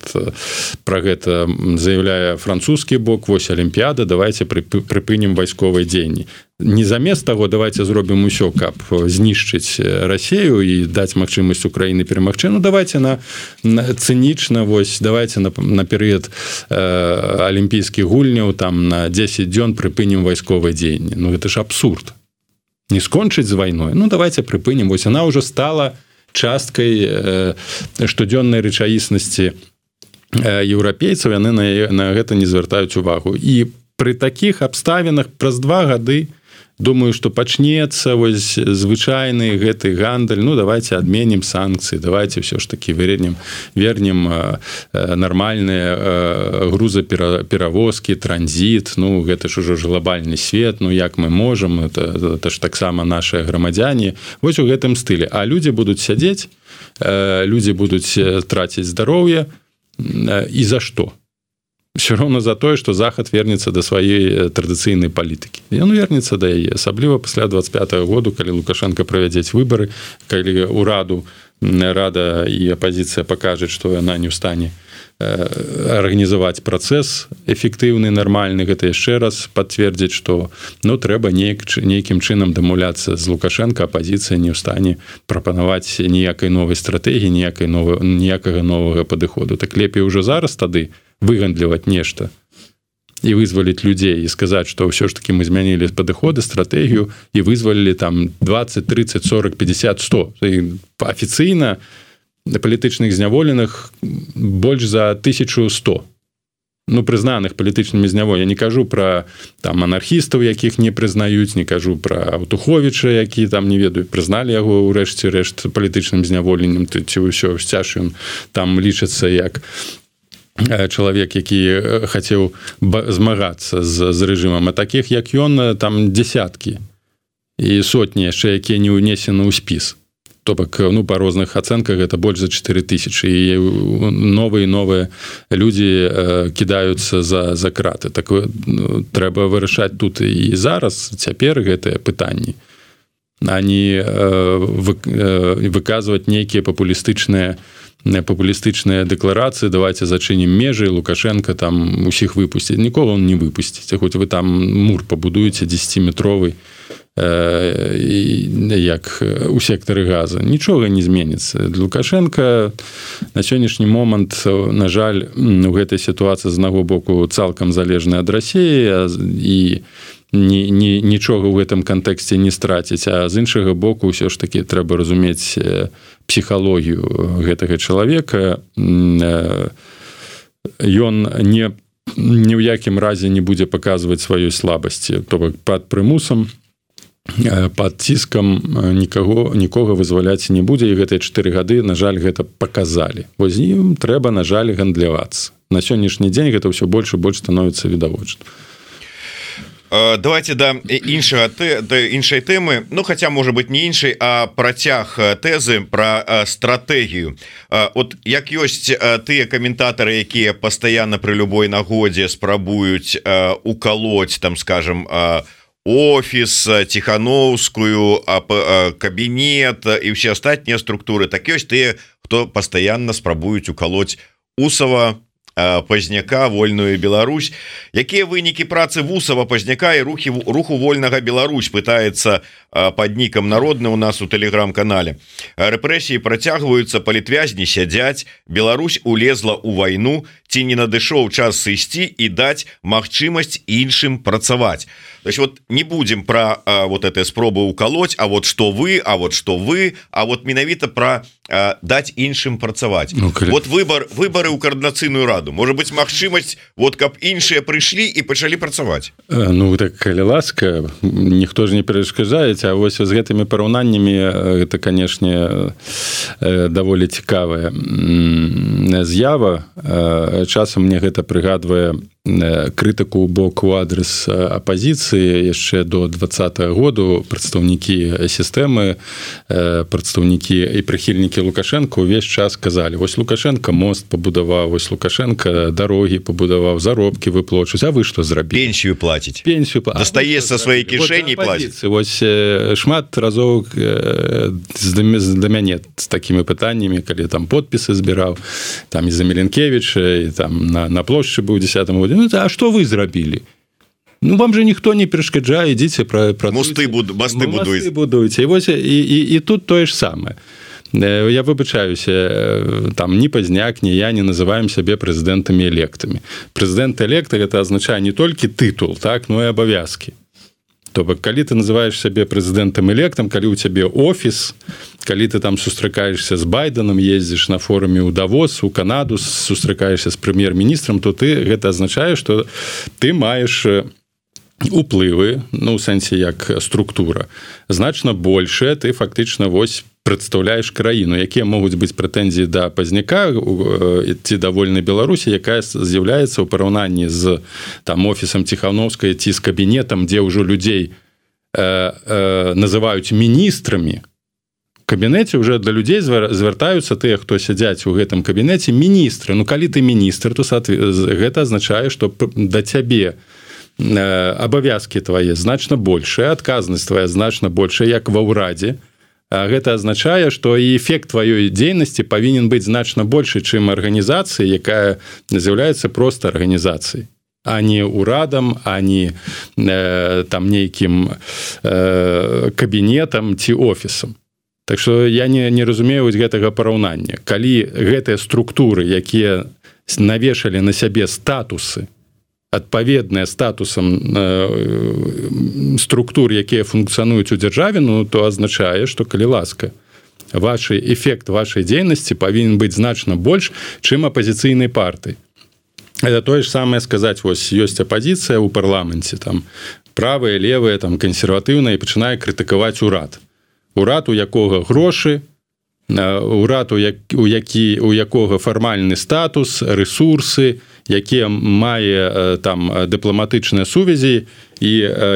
пра гэта заяўляе французскі бок, вось алімпіяда, давайте прыпынім вайсковыя дзеянні. Не замест таго давайте зробім усё, каб знішчыць Расію і даць магчымасць Украіны перамагчы. Ну давайте на, на цынічна, вось давайте на, на перыяд э, алімпійскіх гульняў там на дзесяць дзён прыпынім вайсковыя дзеянні. Ну гэта ж абсурд. Не скончыць з вайной. Ну давайте прыпынім. Вось она ўжо стала часткай э, штодзённай рэчаіснасці э, еўрапейцаў, яны на, на гэта не звяртаюць увагу. І пры такіх абставінах праз два гады думаю, што пачнецца вось звычайны гэты гандаль. Ну давайте адменім санкцыі, давайте все ж таки вернем вернем нармальныя грузаперавозкі, транзіт. Ну гэта ж ужо глобальны свет, ну як мы можам, это, это ж таксама нашыя грамадзяне. Вось у гэтым стылі. А людзі будуць сядзець, людзі будуць траціць здароўе. І за што? Все роўна за тое, што захад вернецца да сваёй традыцыйнай палітыкі. Ён вернецца да яе, асабліва пасля дваццаць пятага году, калі Лукашенко правядзець выбары, калі ўраду рада і апазіцыя пакажуць, што яна не ў стане арганізаваць працэс эфектыўны, нармальны, гэта яшчэ раз пацвердзіць, што ну, трэба нейк, нейкім чынам дамаўляцца з Лукашенко, апазіцыя не ў стане прапанаваць ніякай новай стратэгіі, ніякай новай, ніякага новага падыходу. Так лепей ужо зараз тады выгандліваць нешта і вызваліць людзей і сказаць, што ўсё ж таки мы змянілі падыходы, стратэгію і вызвалілі там двадцать, тридцать, сорок, пятьдесят, сто. І афіцыйна палітычных зняволеных больш за тысячу сто. Ну, прызнаных палітычнымі зняволенымі. Я не кажу пра там анархістаў, якіх не прызнаюць, не кажу пра Аўтуховіча, які там не ведаю, прызналі яго ўрэшце рэшт палітычным зняволеннем, ці ўсё сцяж ён там лічыцца як чалавек, які хацеў змагацца з, з рэжымам, а такіх як ён там дзесяткі і сотні яшчэ, якія не ўнесены ў спіс. То бок, ну, па розных ацэнках гэта больш за чатыры тысячы, і новыя новыя людзі кідаюцца за, за краты. Так ну, трэба вырашаць тут і зараз, цяпер гэтыя пытанні, а не выказваць нейкія папулістычныя папулістычныя дэкларацыі, давайте зачынім межы, Лукашенко там усіх выпусціць. Нікога он не выпусціць. Хоць вы там мур пабудуеце дзесяціметровый, э, як у сектары газа. Нічога не зменіцца. Лукашенко на сённяшні момант, на жаль, у гэтай сітуацыі з аднаго боку цалкам залежны ад Расіі і Ні, ні, нічога ў гэтым кантэксце не страціць, а з іншага боку ўсё ж такі трэба разумець псіхалогію гэтага чалавека. Ён не, ні ў якім разе не будзе паказваць сваёй слабасці, то бок пад прымусам, пад ціскам нікаго, нікога вызваляць не будзе, і гэтыя чатыры гады, на жаль, гэта паказалі. Вось ім трэба, на жаль, гандлявацца. На сённяшні дзень гэта ўсё больш і больш становіцца відавочна. Давайте да іншага да іншай тэмы, ну хотя можа быть не іншай, а працяг тэзы пра стратэгію. От як ёсць тыя каментатары, якія пастаянна пры любой нагодзе спрабуюць укалоць там, скажем, офіс, Ціхановскую, кабінет і ўсе астатнія структуры, так ёсць тыя, хто пастаянна спрабуюць укалоць Усова, Пазняка, вольную Беларусь. Якія вынікі працы Вусава, Пазняка і рухі руху вольнага Беларусь, пытаецца под нікам народны у нас у тэлеграм-канале. Рэпрэсіі працягваюцца, палітвязні сядзяць, Беларусь улезла ў вайну, ці не надышоў час сысці і даць магчымасць іншым працаваць. То есть вот не будем про а, вот этой спробы уколоть, а вот что вы, а вот что вы, а вот менавіта про а, дать іншым працаваць. Ну, вот выбор выборы ў координацыйную раду, может быть магчымасць вот каб іншыя прыйшлі і пачалі працаваць. Ну так калі ласка, ніхто ж не перашкаджаеце, а вось з гэтымі параўнаннямі это канешне даволі цікавая з'ява. Часам мне гэта прыгадвае крытыку ў бок у адрес апозіцыі яшчэ до двадцатого году. Прадстаўнікі сістэмы, прадстаўнікі і прыхільнікі Лукашенко ўвесь час казалі: вось Лукашенко мост пабудаваў, вось Лукашенко дарогі пабудаваў, заробкі выплачваюць, а вы што зрабілі? Пенсію плаціць. Пенсію дастае са сваёй кішэні плаціць. Вось шмат разоў да мяне з такімі пытаннямі, калі там подпісы збіраў, там і за Міленкевіча, і там на, на плошчы быў у дзесятым годзе. Ну, а што вы зрабілі? Ну, вам же ніхто не перашкаджае, ідзіце пра, пра мосты, буд, мосты будуеце. будуеце. І, вось, і, і, і тут тое ж самае. Я выбачаюся, там ні Пазняк, ні я не называем сябе прэзідэнтамі-электамі. Прэзідэнт-элект гэта азначае не толькі тытул, так, но і абавязкі. То бок, калі ты называеш сябе прэзідэнтам-электам, калі ў цябе офіс, калі ты там сустракаешься з Байденом, ездзіш на форуме ў Давос, у Канаду, сустракаешься з прэм'ер-міністрам, то ты гэта азначае, што ты маеш уплывы, ну, у сэнсе як структура, значна большая, ты фактычна вось прадстаўляеш краіну, якія могуць быць прэтэнзіі да Пазняка ці да вольнай Беларусі, якая з'яўляецца ў параўнанні з там офісам Ціханаўскай ці з кабінетам, дзе ўжо людзей э, э, называюць міністрамі. В кабінеце уже для людзей звяртаюцца тыя, хто сядзяць у гэтым кабінеце, міністры. Ну, калі ты міністр, то гэта азначае, што да цябе абавязкі твае значна большая, адказнасць твая значна большая, як ва ўрадзе. Гэта азначае, што і эфект тваёй дзейнасці павінен быць значна большы, чым арганізацыя, якая з'яўляецца проста арганізацыяй, а не ўрадам, а не э, там нейкім э, кабінетам ці офісам. Так што я не, не разумею вось гэтага параўнання. Калі гэтыя структуры, якія навешалі на сябе статусы, адпаведныя статусам э, структур, якія функцыянуюць у дзяржаве, ну, то азначае, што, калі ласка, ваш эфект вашай дзейнасці павінен быць значна больш, чым апазіцыйнай партыі. Это тое ж самае сказаць, вось ёсць апазіцыя ў парламенце, там правая, левая, там кансерватыўная, і пачынае крытыкаваць урад. Урад, у якога грошы, урад, у, як, у, які, у якога фармальны статус, рэсурсы, якія мае там дыпламатычныя сувязі, і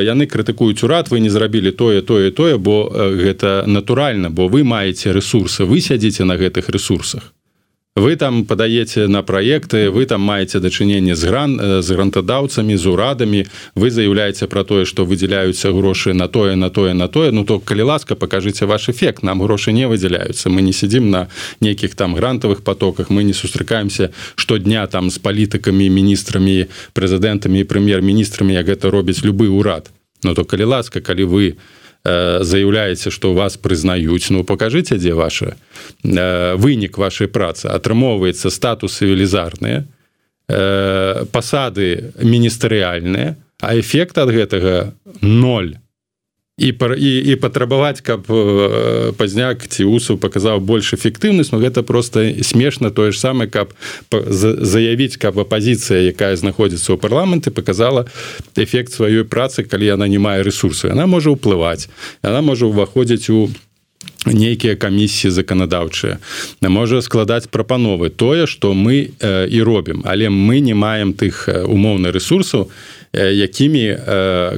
яны крытыкуюць урад: вы не зрабілі тое, тое, тое, бо гэта натуральна, бо вы маеце рэсурсы, вы сядзіце на гэтых рэсурсах. Вы там падаеце на праекты, вы там маеце дачыненне з, гран, з грантадаўцамі, з урадамі, вы заяўляеце пра тое, што выдзяляюцца грошы на тое, на тое, на тое. Ну, то, калі ласка, пакажыце ваш эфект. Нам грошы не выдзяляюцца. Мы не сидзім на нейкіх там грантавых потоках, мы не сустракаемся штодня там з палітыкамі, міністрамі, прэзідэнтамі і прэм'ер-міністрамі, як гэта робіць любы ўрад. Ну, то, калі ласка, калі вы заяўляеце, што вас прызнаюць, ну, пакажыце, дзе ваша вынік вашай працы. Атрымоўваецца статусы велізарныя, пасады міністэрыяльныя, а эфект ад гэтага ноль. І, і, і патрабаваць, каб Пазняк ці Усаў паказаў больш эфектыўнасць, ну, гэта проста смешна. Тое ж самае, каб заявіць, каб апазіцыя, якая знаходзіцца ў парламенце, паказала эфект сваёй працы, калі яна не мае рэсурсу. Яна можа ўплываць, яна можа ўваходзіць у нейкія камісіі заканадаўчыя, можа складаць прапановы. Тое, што мы і робім, але мы не маем тых умоўных рэсурсаў, якімі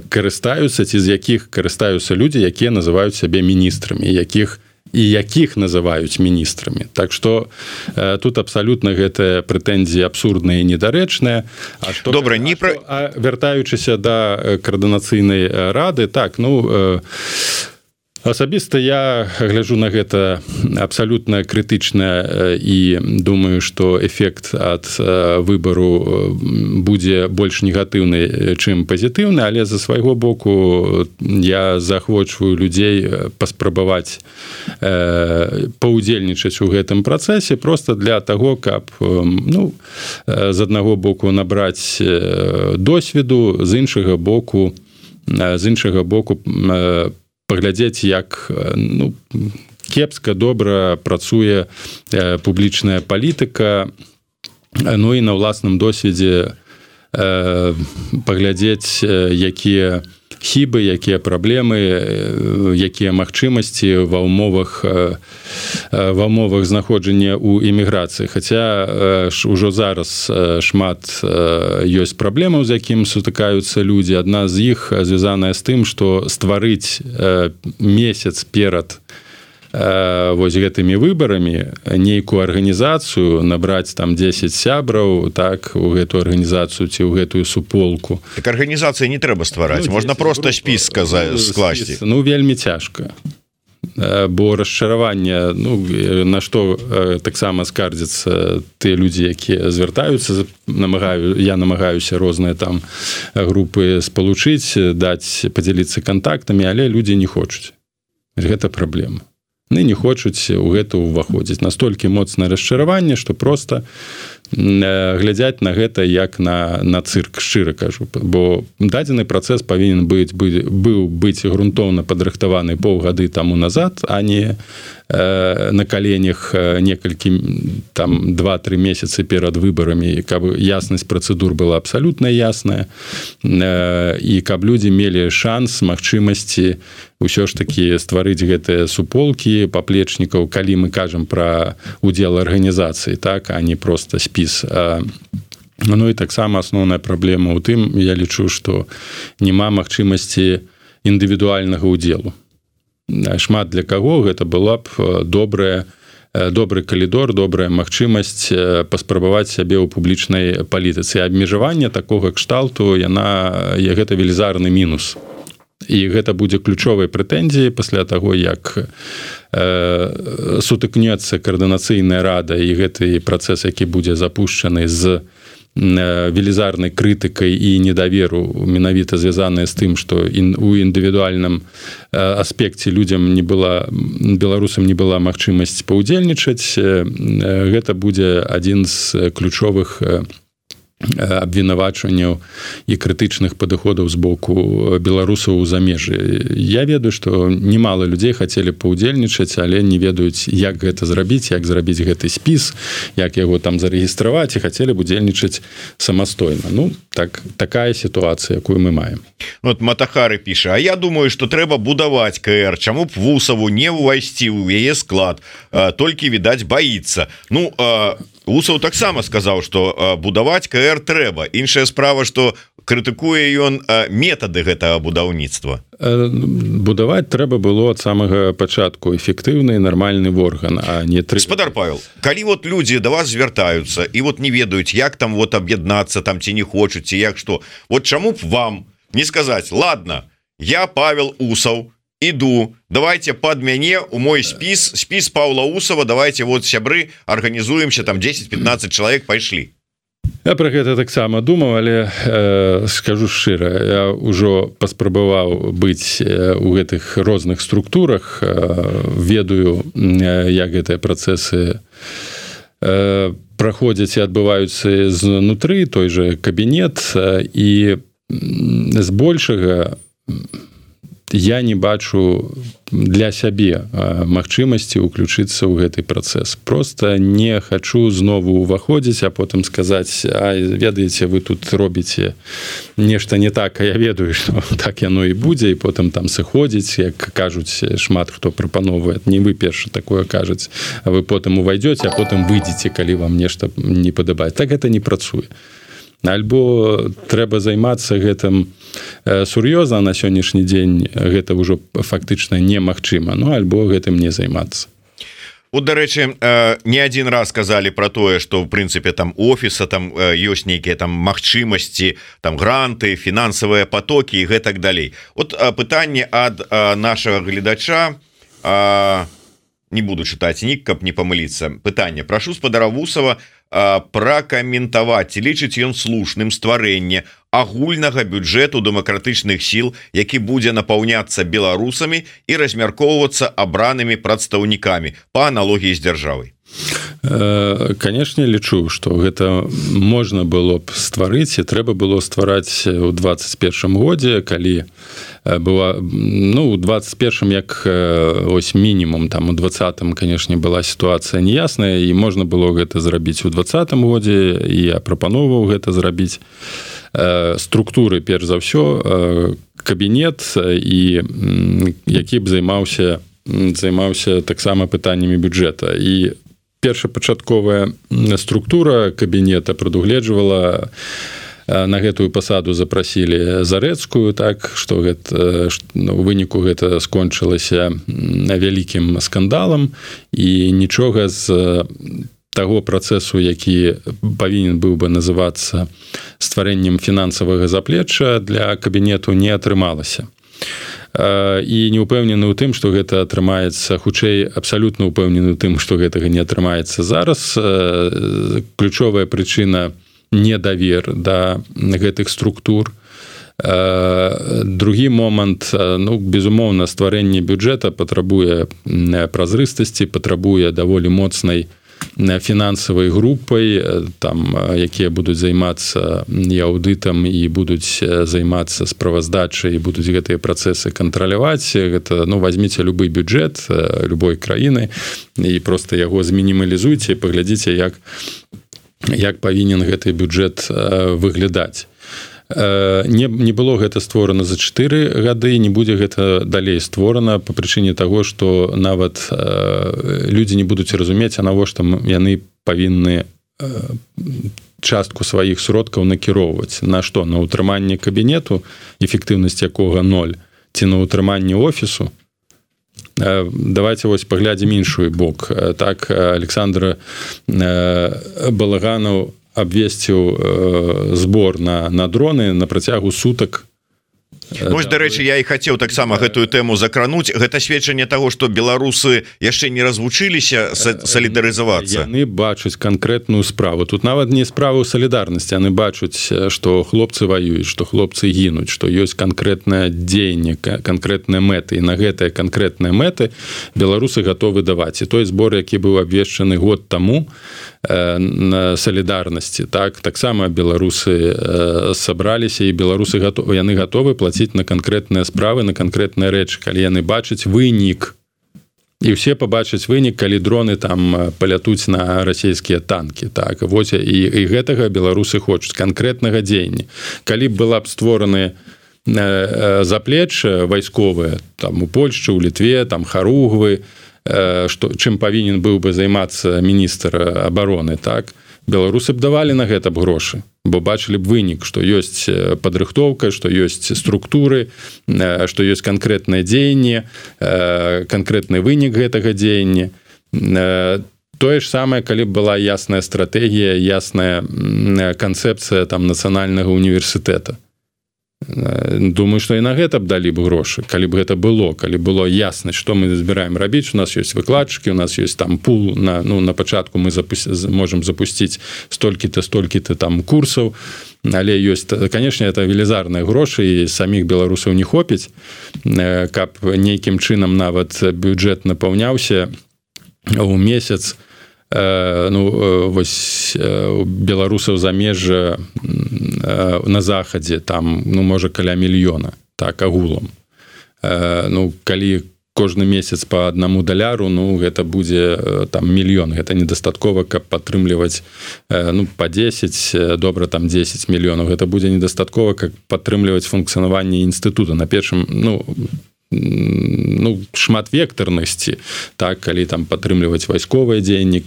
карыстаюцца ці з якіх карыстаюцца людзі, якія называюць сябе міністрамі, якіх і якіх называюць міністрамі. Так што тут абсалютна гэтая прэтэнзія абсурдная і недарэчная. А што, Добра, не пра... а, вяртаючыся да коордынацыйнай рады, так, ну, Асабіста я гляджу на гэта абсалютна крытычна і думаю, што эфект ад выбару будзе больш негатыўны, чым пазітыўны, але за свайго боку я заахвочваю людзей паспрабаваць паўдзельнічаць у гэтым працэсе проста для таго, каб ну, з аднаго боку набраць досведу, з іншага боку з іншага боку паглядзець, як ну, кепска, добра працуе э, публічная палітыка, ну і на ўласным досведзе э, паглядзець, э, якія хібы, якія праблемы, э, якія магчымасці ва ўмовах э, ва ўмовах знаходжання ў эміграцыі. Хаця э, ўжо зараз э, шмат э, ёсць праблемаў, з якім сутыкаюцца людзі. Адна з іх звязаная з тым, што стварыць э, месяц перад э, вось гэтымі выбарамі нейкую арганізацыю, набраць там дзесяць сябраў, так, у гэтую арганізацыю ці ў гэтую суполку. Так арганізацыі не трэба ствараць, ну, можна проста спіс сказаць, скласці. Ну, вельмі цяжка. Бо расчараванне, ну, на што таксама скардзяцца тыя людзі, якія звяртаюцца, намагаю, я намагаюся розныя там групы спалучыць, даць, падзяліцца кантактамі, але людзі не хочуць. Гэта праблема. Яны не хочуць у гэта ўваходзіць. Настолькі моцнае расчараванне, што проста глядзяць на гэта як на, на цырк, шчыра кажу. Бо дадзены працэс павінен быць, быў быць грунтоўна падрыхтаваны паўгады таму назад, а не э, на каленях некалькі, там, два-тры месяцы перад выбарамі, каб яснасць працэдур была абсалютна ясная, э, і каб людзі мелі шанс, магчымасці ўсё ж такі стварыць гэтыя суполкі паплечнікаў, калі мы кажам пра удзел арганізацыі, так, а не проста спіс. Ну і таксама асноўная праблема ў тым, я лічу, што няма магчымасці індывідуальнага ўдзелу. Шмат для каго гэта была б добрая, добры калідор, добрая магчымасць паспрабаваць сябе ў публічнай палітыцы. Абмежаванне такога кшталту, яна, гэта велізарны мінус. І гэта будзе ключовай прэтэнзіяй пасля таго, як э, сутыкнецца каардынацыйная рада і гэты працэс, які будзе запушчаны з э, велізарнай крытыкай і недаверу, менавіта звязаныя з тым, што ін, у індывідуальным э, аспекце людзям не была, беларусам не была магчымасць паўдзельнічаць, э, гэта будзе адзін з ключовых э, абвінавачванняў і крытычных падыходаў з боку беларусаў у замежжы. Я ведаю, што немало людзей хацелі паўдзельнічаць, але не ведаюць, як гэта зрабіць, як зрабіць гэты спіс, як яго там зарэгістраваць, і хацелі б удзельнічаць самастойна. Ну, так, такая сітуацыя, якую мы маем. Вот Матахары піша: а я думаю, што трэба будаваць КР, чаму б Вусаву не ўвайсці ў яе склад, а, толькі, відаць, баіцца. Ну, а Усаў таксама сказаў, што будаваць КР трэба. Іншая справа, што крытыкуе ён метады гэтага будаўніцтва. Будаваць трэба было ад самага пачатку эфектыўны і нармальны орган, а не тры... Гаспадар Павел, калі вот людзі да вас звяртаюцца і вот не ведаюць, як там вот аб'яднацца, там ці не хочуць, ці як што, вот чаму б вам не сказаць: ладно, я Павел Усаў, иду, давайте под мяне у мой спіс, спіс Павла Усава, давайте вот сябры организуемся, там десять-пятнадцать человек пайшлі. Я про гэта таксама думаў, але э, скажу шчыра, я ўжо паспрабаваў быць у гэтых розных структурах, э, ведаю, э, як гэтыя працэсы э, праходзяць і адбываюцца знутры, той же кабінет, э, і збольшага я не бачу для сябе магчымасці ўключыцца ў гэты працэс. Просто не хачу знову ўваходзіць, а потым сказаць: а ведаеце, вы тут робіце нешта не так, а я ведаю, што так яно і будзе, і потым там сыходзіць, як кажуць шмат хто прапановвае. Не вы першы такое кажуць, а вы потым увайдзеце, а потым выйдзеце, калі вам нешта не падабаецца. Так гэта не працуе. Альбо трэба займацца гэтым сур'ёзна, на сённяшні дзень гэта ўжо фактычна немагчыма, ну альбо гэтым не займацца. Вот, дарэчы, не один раз сказали про тое, что в прынцыпе там офіса там ёсць нейкія там магчымасці, там гранты, фінансавыя потоки і гэтак далей. Вот пытанне ад нашага гледача, не буду чытаць нік, каб не памыліцца. Пытанне: прашу спадара Вусава пракаментаваць, ці лічыць ён слушным стварэнне агульнага бюджэту дэмакратычных сіл, які будзе напаўняцца беларусамі і размяркоўвацца абранымі прадстаўнікамі па аналогіі з дзяржавай. Канешне, лічу, што гэта можна было б стварыць і трэба было ствараць у двадцать першым годзе, калі была, ну, у двадцать першым як ось мінімум, там у двадцатым, канешне, была сітуацыя неясная, і можна было гэта зрабіць у двадцатым годзе, і я прапановваў гэта зрабіць. Структуры, перш за ўсё, кабінет, і які б займаўся займаўся таксама пытаннямі бюджэта. І першапачатковая структура кабінета прадугледжвала, на гэтую пасаду запрасілі Зарэцкую, так, што гэта, у выніку гэта скончылася вялікім скандалам, і нічога з таго працэсу, які павінен быў бы называцца стварэннем фінансавага заплечча, для кабінету не атрымалася. І не ўпэўнены ў тым, што гэта атрымаецца, хутчэй абсалютна ўпэўнены ў тым, што гэтага не атрымаецца зараз. Ключовая прычына — недавер да гэтых структур. Другі момант, ну, безумоўна, стварэнне бюджэта патрабуе празрыстасці, патрабуе даволі моцнай фінансавай групай, там, якія будуць займацца і аўдытам, і будуць займацца справаздачай, і будуць гэтыя працэсы кантраляваць. Гэта, ну, возьміце любы бюджэт любой краіны і проста яго змінімалізуйце, паглядзіце, як, як павінен гэты бюджэт выглядаць. Не, не было гэта створана за чатыры гады, не будзе гэта далей створана па прычыне таго, што нават людзі не будуць разумець, а навошта яны павінны частку сваіх сродкаў накіроўваць. На што? На ўтрыманне кабінету, эфектыўнасць якога ноль, ці на ўтрыманне офісу? Давайте вось паглядзім іншую бок. Так, Александр Балаганаў абвесціў збор на, на дроны на працягу сутак. Вось, дарэчы, я і хацеў таксама гэтую тэму закрануць. Гэта сведчанне таго, што беларусы яшчэ не развучыліся салідарызавацца. Яны бачаць канкрэтную справу. Тут нават не справа ў салідарнасці, яны бачаць, што хлопцы ваююць, што хлопцы гінуць, што ёсць канкрэтнае дзеянне, канкрэтныя мэты. І на гэтыя канкрэтныя мэты беларусы гатовы даваць. І той збор, які быў абвешчаны год таму на салідарнасці, так, таксама беларусы сабраліся, і беларусы гатовы, яны гатовы плаціць на канкрэтныя справы, на канкрэтныя рэчы, калі яны бачаць вынік. І ўсе пабачаць вынік, калі дроны там палятуць на расійскія танкі. Так, вось, і, і гэтага беларусы хочуць, канкрэтнага дзеяння. Калі б была б створаны заплечча вайсковыя, там у Польшчы, у Літве, там Харугвы, што, чым павінен быў бы займацца міністр абароны, так, беларусы б давалі на гэта б грошы, бо бачылі б вынік, што ёсць падрыхтоўка, што ёсць структуры, што ёсць канкрэтнае дзеянне, канкрэтны вынік гэтага дзеяння. Тое ж самае, калі б была ясная стратэгія, ясная канцэпцыя там нацыянальнага універсітэта. Думаю, што і на гэта б далі б грошы, калі б гэта было, калі было ясна, што мы збіраем рабіць. У нас ёсць выкладчыкі, у нас ёсць там пул, на, ну, на пачатку мы запусти, можам запусціць столькі-то, столькі-то там курсаў, але ёсць, канешне, это велізарныя грошы, і саміх беларусаў не хопіць, каб нейкім чынам нават бюджэт напаўняўся ў месяц. Ну, вось беларусаў замежжа на захадзе там, ну, можа, каля мільёна, так, агулам. Ну, калі кожны месяц по аднаму даляру, ну, гэта будзе там мільён, гэта недастаткова, каб падтрымліваць, ну, па дзесяць, добра, там дзесяць мільёнаў, гэта будзе недастаткова, каб падтрымліваць функцыянаванне інстытута. На першым, ну, ну, шматвектарнасці, так, калі там падтрымліваць вайсковыя дзеянні,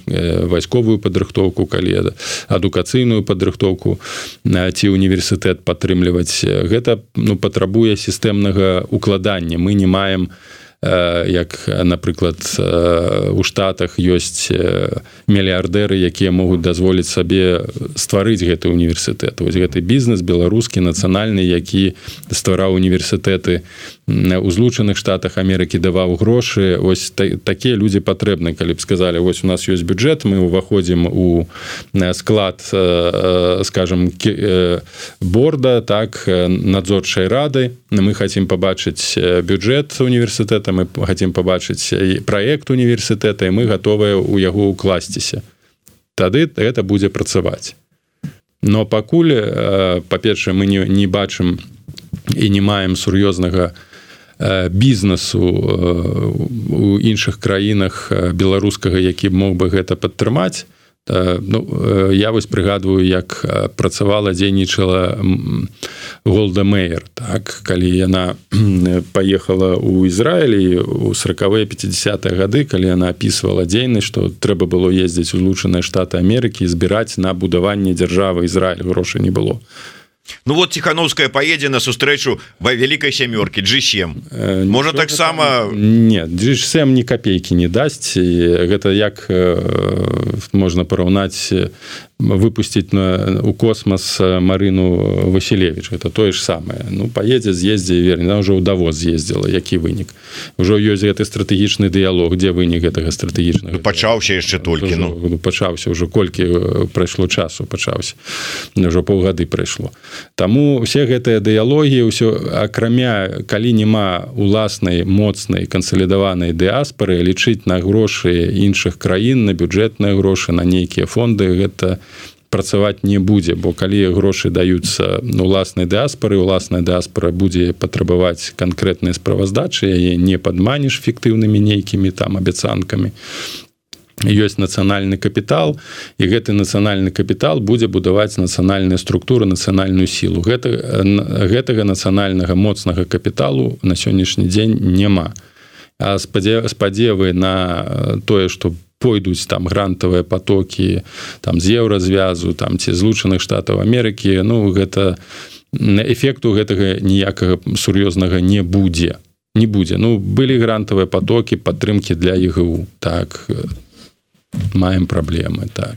вайсковую падрыхтоўку, калі адукацыйную падрыхтоўку ці універсітэт падтрымліваць, гэта, ну, патрабуе сістэмнага укладання. Мы не маем як напрыклад у Штатах ёсць мільярдэры, якія могуць дазволіць сабе стварыць гэты універсітэт. Вось гэты бізнес беларускі нацыянальны, які ствараў універсітэты у Злучаных Штатах Амерыкі, даваў грошы. Вось та, такія людзі патрэбны, калі б сказалі, вось у нас ёсць бюджэт, мы ўваходзім у склад, скажем, борда, так, надзорчай рады, мы хотим побачыць бюджэт універсітэта, мы хотим побачыць праект універсітэта, і мы готовыя ў яго укласціся. Тады это будзе працаваць. Но пакуль, па-першае, мы не, не бачым і не маем сур'ёзнага бізнесу у іншых краінах беларускага, які мог бы гэта падтрымаць. Ну, я вось прыгадваю, як працавала, дзейнічала Голда Меір, так, калі яна паехала ў Ізраіль у сорокавыя пятидесятыя гады, калі яна апісвала дзейнасць, што трэба было ездзіць у Злучаныя Штаты Амерыкі і збіраць на будаванне дзяржавы Ізраіль, грошай не было. Ну вот Ціхановская поедзе на сустрэчу во вялікай сямёркі джи сем. Можа таксама... Не, джи сем ні капейкі не дасць. Гэта як можна параўнаць выпусціць на, у космос Марыну Васілевіч. Это тое ж самае. Ну, поедзе, з'ездзе і верне. Она ўжо ў Давос з'ездзіла. Які вынік? Ужо ёсць гэты стратэгічны дыялог. Дзе вынік гэтага стратэгічнага? Пачаўся яшчэ толькі. Ну. Пачаўся ўжо. Колькі прайшло часу пачаўся. Ўжо паўгады прайшло. Таму усе гэтыя дыялогі, ўсё, акрамя, калі няма уласнай, моцнай, кансалідаванай дыаспары, лічыць на грошы іншых краін, на бюджэтныя грошы, на нейкія фонды, гэта працаваць не будзе, бо калі грошы даюцца уласнай дыаспары, уласная дыаспара будзе патрабаваць канкрэтныя справаздачы, яе не падманеш фіктыўнымі нейкімі там абяцанкамі. Ёсць нацыянальны капітал, і гэты нацыянальны капітал будзе будаваць нацыянальную структуру, нацыянальную сілу. Гэта, гэтага нацыянальнага моцнага капіталу на сённяшні дзень няма. А спадзевы на тое, што пойдуць там грантавыя потокі там з еўразвязу, там ці Злучаных Штатаў Амерыкі, ну гэта эфекту гэтага ніякага сур'ёзнага не будзе. Не будзе. Ну, былі грантавыя потокі падтрымкі для ЕГУ. Так, маем праблемы, так.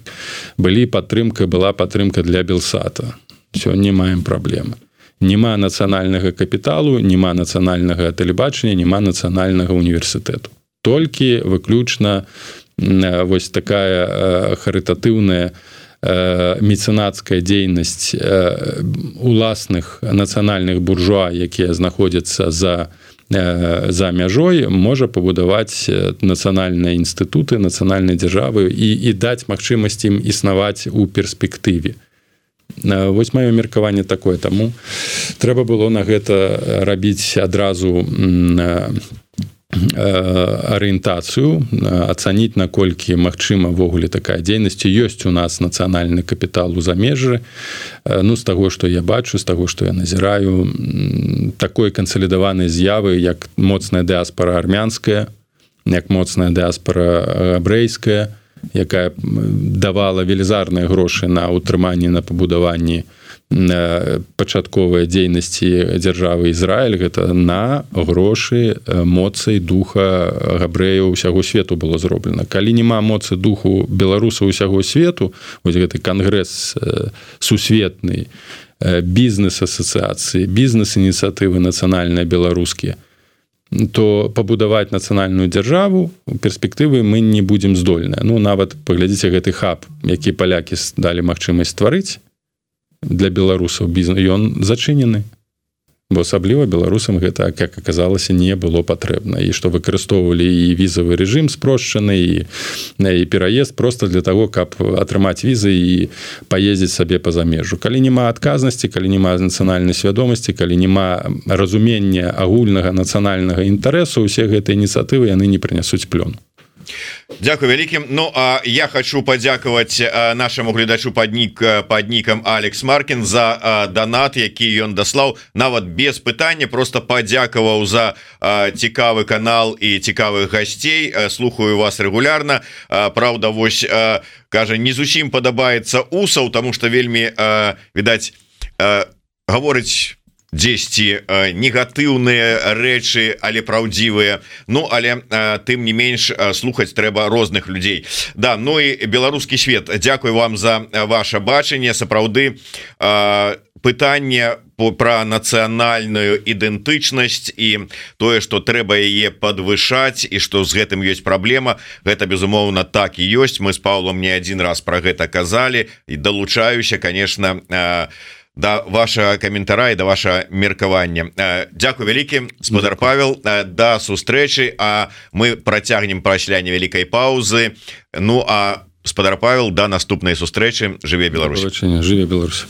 Былі падтрымка, была падтрымка для Белсата. Сёння маем праблемы. Нема нацыянальнага капіталу, нема нацыянальнага тэлебачання, нема нацыянальнага універсітэту. Толькі выключна вось такая харытатыўная мецэнацкая дзейнасць уласных нацыянальных буржуа, якія знаходзяцца за за мяжой, можа пабудаваць нацыянальныя інстытуты, нацыянальнай дзяржавы і, і даць магчымасць ім існаваць у перспектыве. Вось маё меркаванне такое, таму трэба было на гэта рабіць адразу арыентацыю, ацаніць, наколькі магчыма ввогуле такая дзейнасць. Ёсць у нас нацыянальны капітал у замежжы. Ну, з таго, што я бачу, з таго, што я назіраю, такой кансалідаванай з'явы, як моцная дыаспара армянская, як моцная дыаспара габрэйская, якая давала велізарныя грошы на ўтрыманне, на пабудаванні пачатковай дзейнасці дзяржавы Ізраіль, гэта на грошы моцы духа габрэяў усяго свету было зроблена. Калі няма моцы духу беларусаў усяго свету, вось гэты кангрэс сусветны, бізнес-асацыяцыі, бізнес-ініцыятывы нацыянальныя беларускія, то пабудаваць нацыянальную дзяржаву у перспектывы мы не будзем здольныя. Ну, нават паглядзіце гэты хаб, які палякі далі магчымасць стварыць для беларусаў бізнес, ён зачынены. Бо асабліва беларусам гэта, як аказалася, не было патрэбна. І што выкарыстоўвалі і візавы рэжым спрошчаны, і, і пераезд проста для таго, каб атрымаць візы і паездзіць сабе па замежжу. Калі няма адказнасці, калі няма нацыянальнай свядомасці, калі няма разумення агульнага нацыянальнага інтарэсу, усе гэтыя ініцыятывы яны не прынясуць плён. Дякую вялікім. Ну, а я хочу падзякаваць нашаму гледачу пад нік пад нікам Алекс Маркін за донат, які ён даслаў нават без пытання, просто падзякаваў за цікавы канал і цікавых гасцей. Слухаю вас рэгулярна. Праўда, вось кажа, не зусім падабаецца Усаў, таму што вельмі відаць гаворыць дзесьці негатыўныя рэчы, але праўдзівыя. Ну але тым не менш слухаць трэба розных людзей. Да, ну і беларускі свет, дзякуй вам за ваше бачанне. Сапраўды пытанне пра нацыянальную ідэнтычнасць і тое, што трэба яе падвышаць і што з гэтым ёсць праблема, гэта безумоўна так і ёсць. Мы з Паўлом не адзін раз пра гэта казалі і далучаюся, конечно, да ваша каментара і да ваша меркавання. Дзякуй вялікі, спадар Павел, да сустрэчы, а мы працягнем пасля невялікай паўзы. Ну а спадар Павел, да наступнай сустрэчы. Жыве Беларусь. Жыве Беларусь.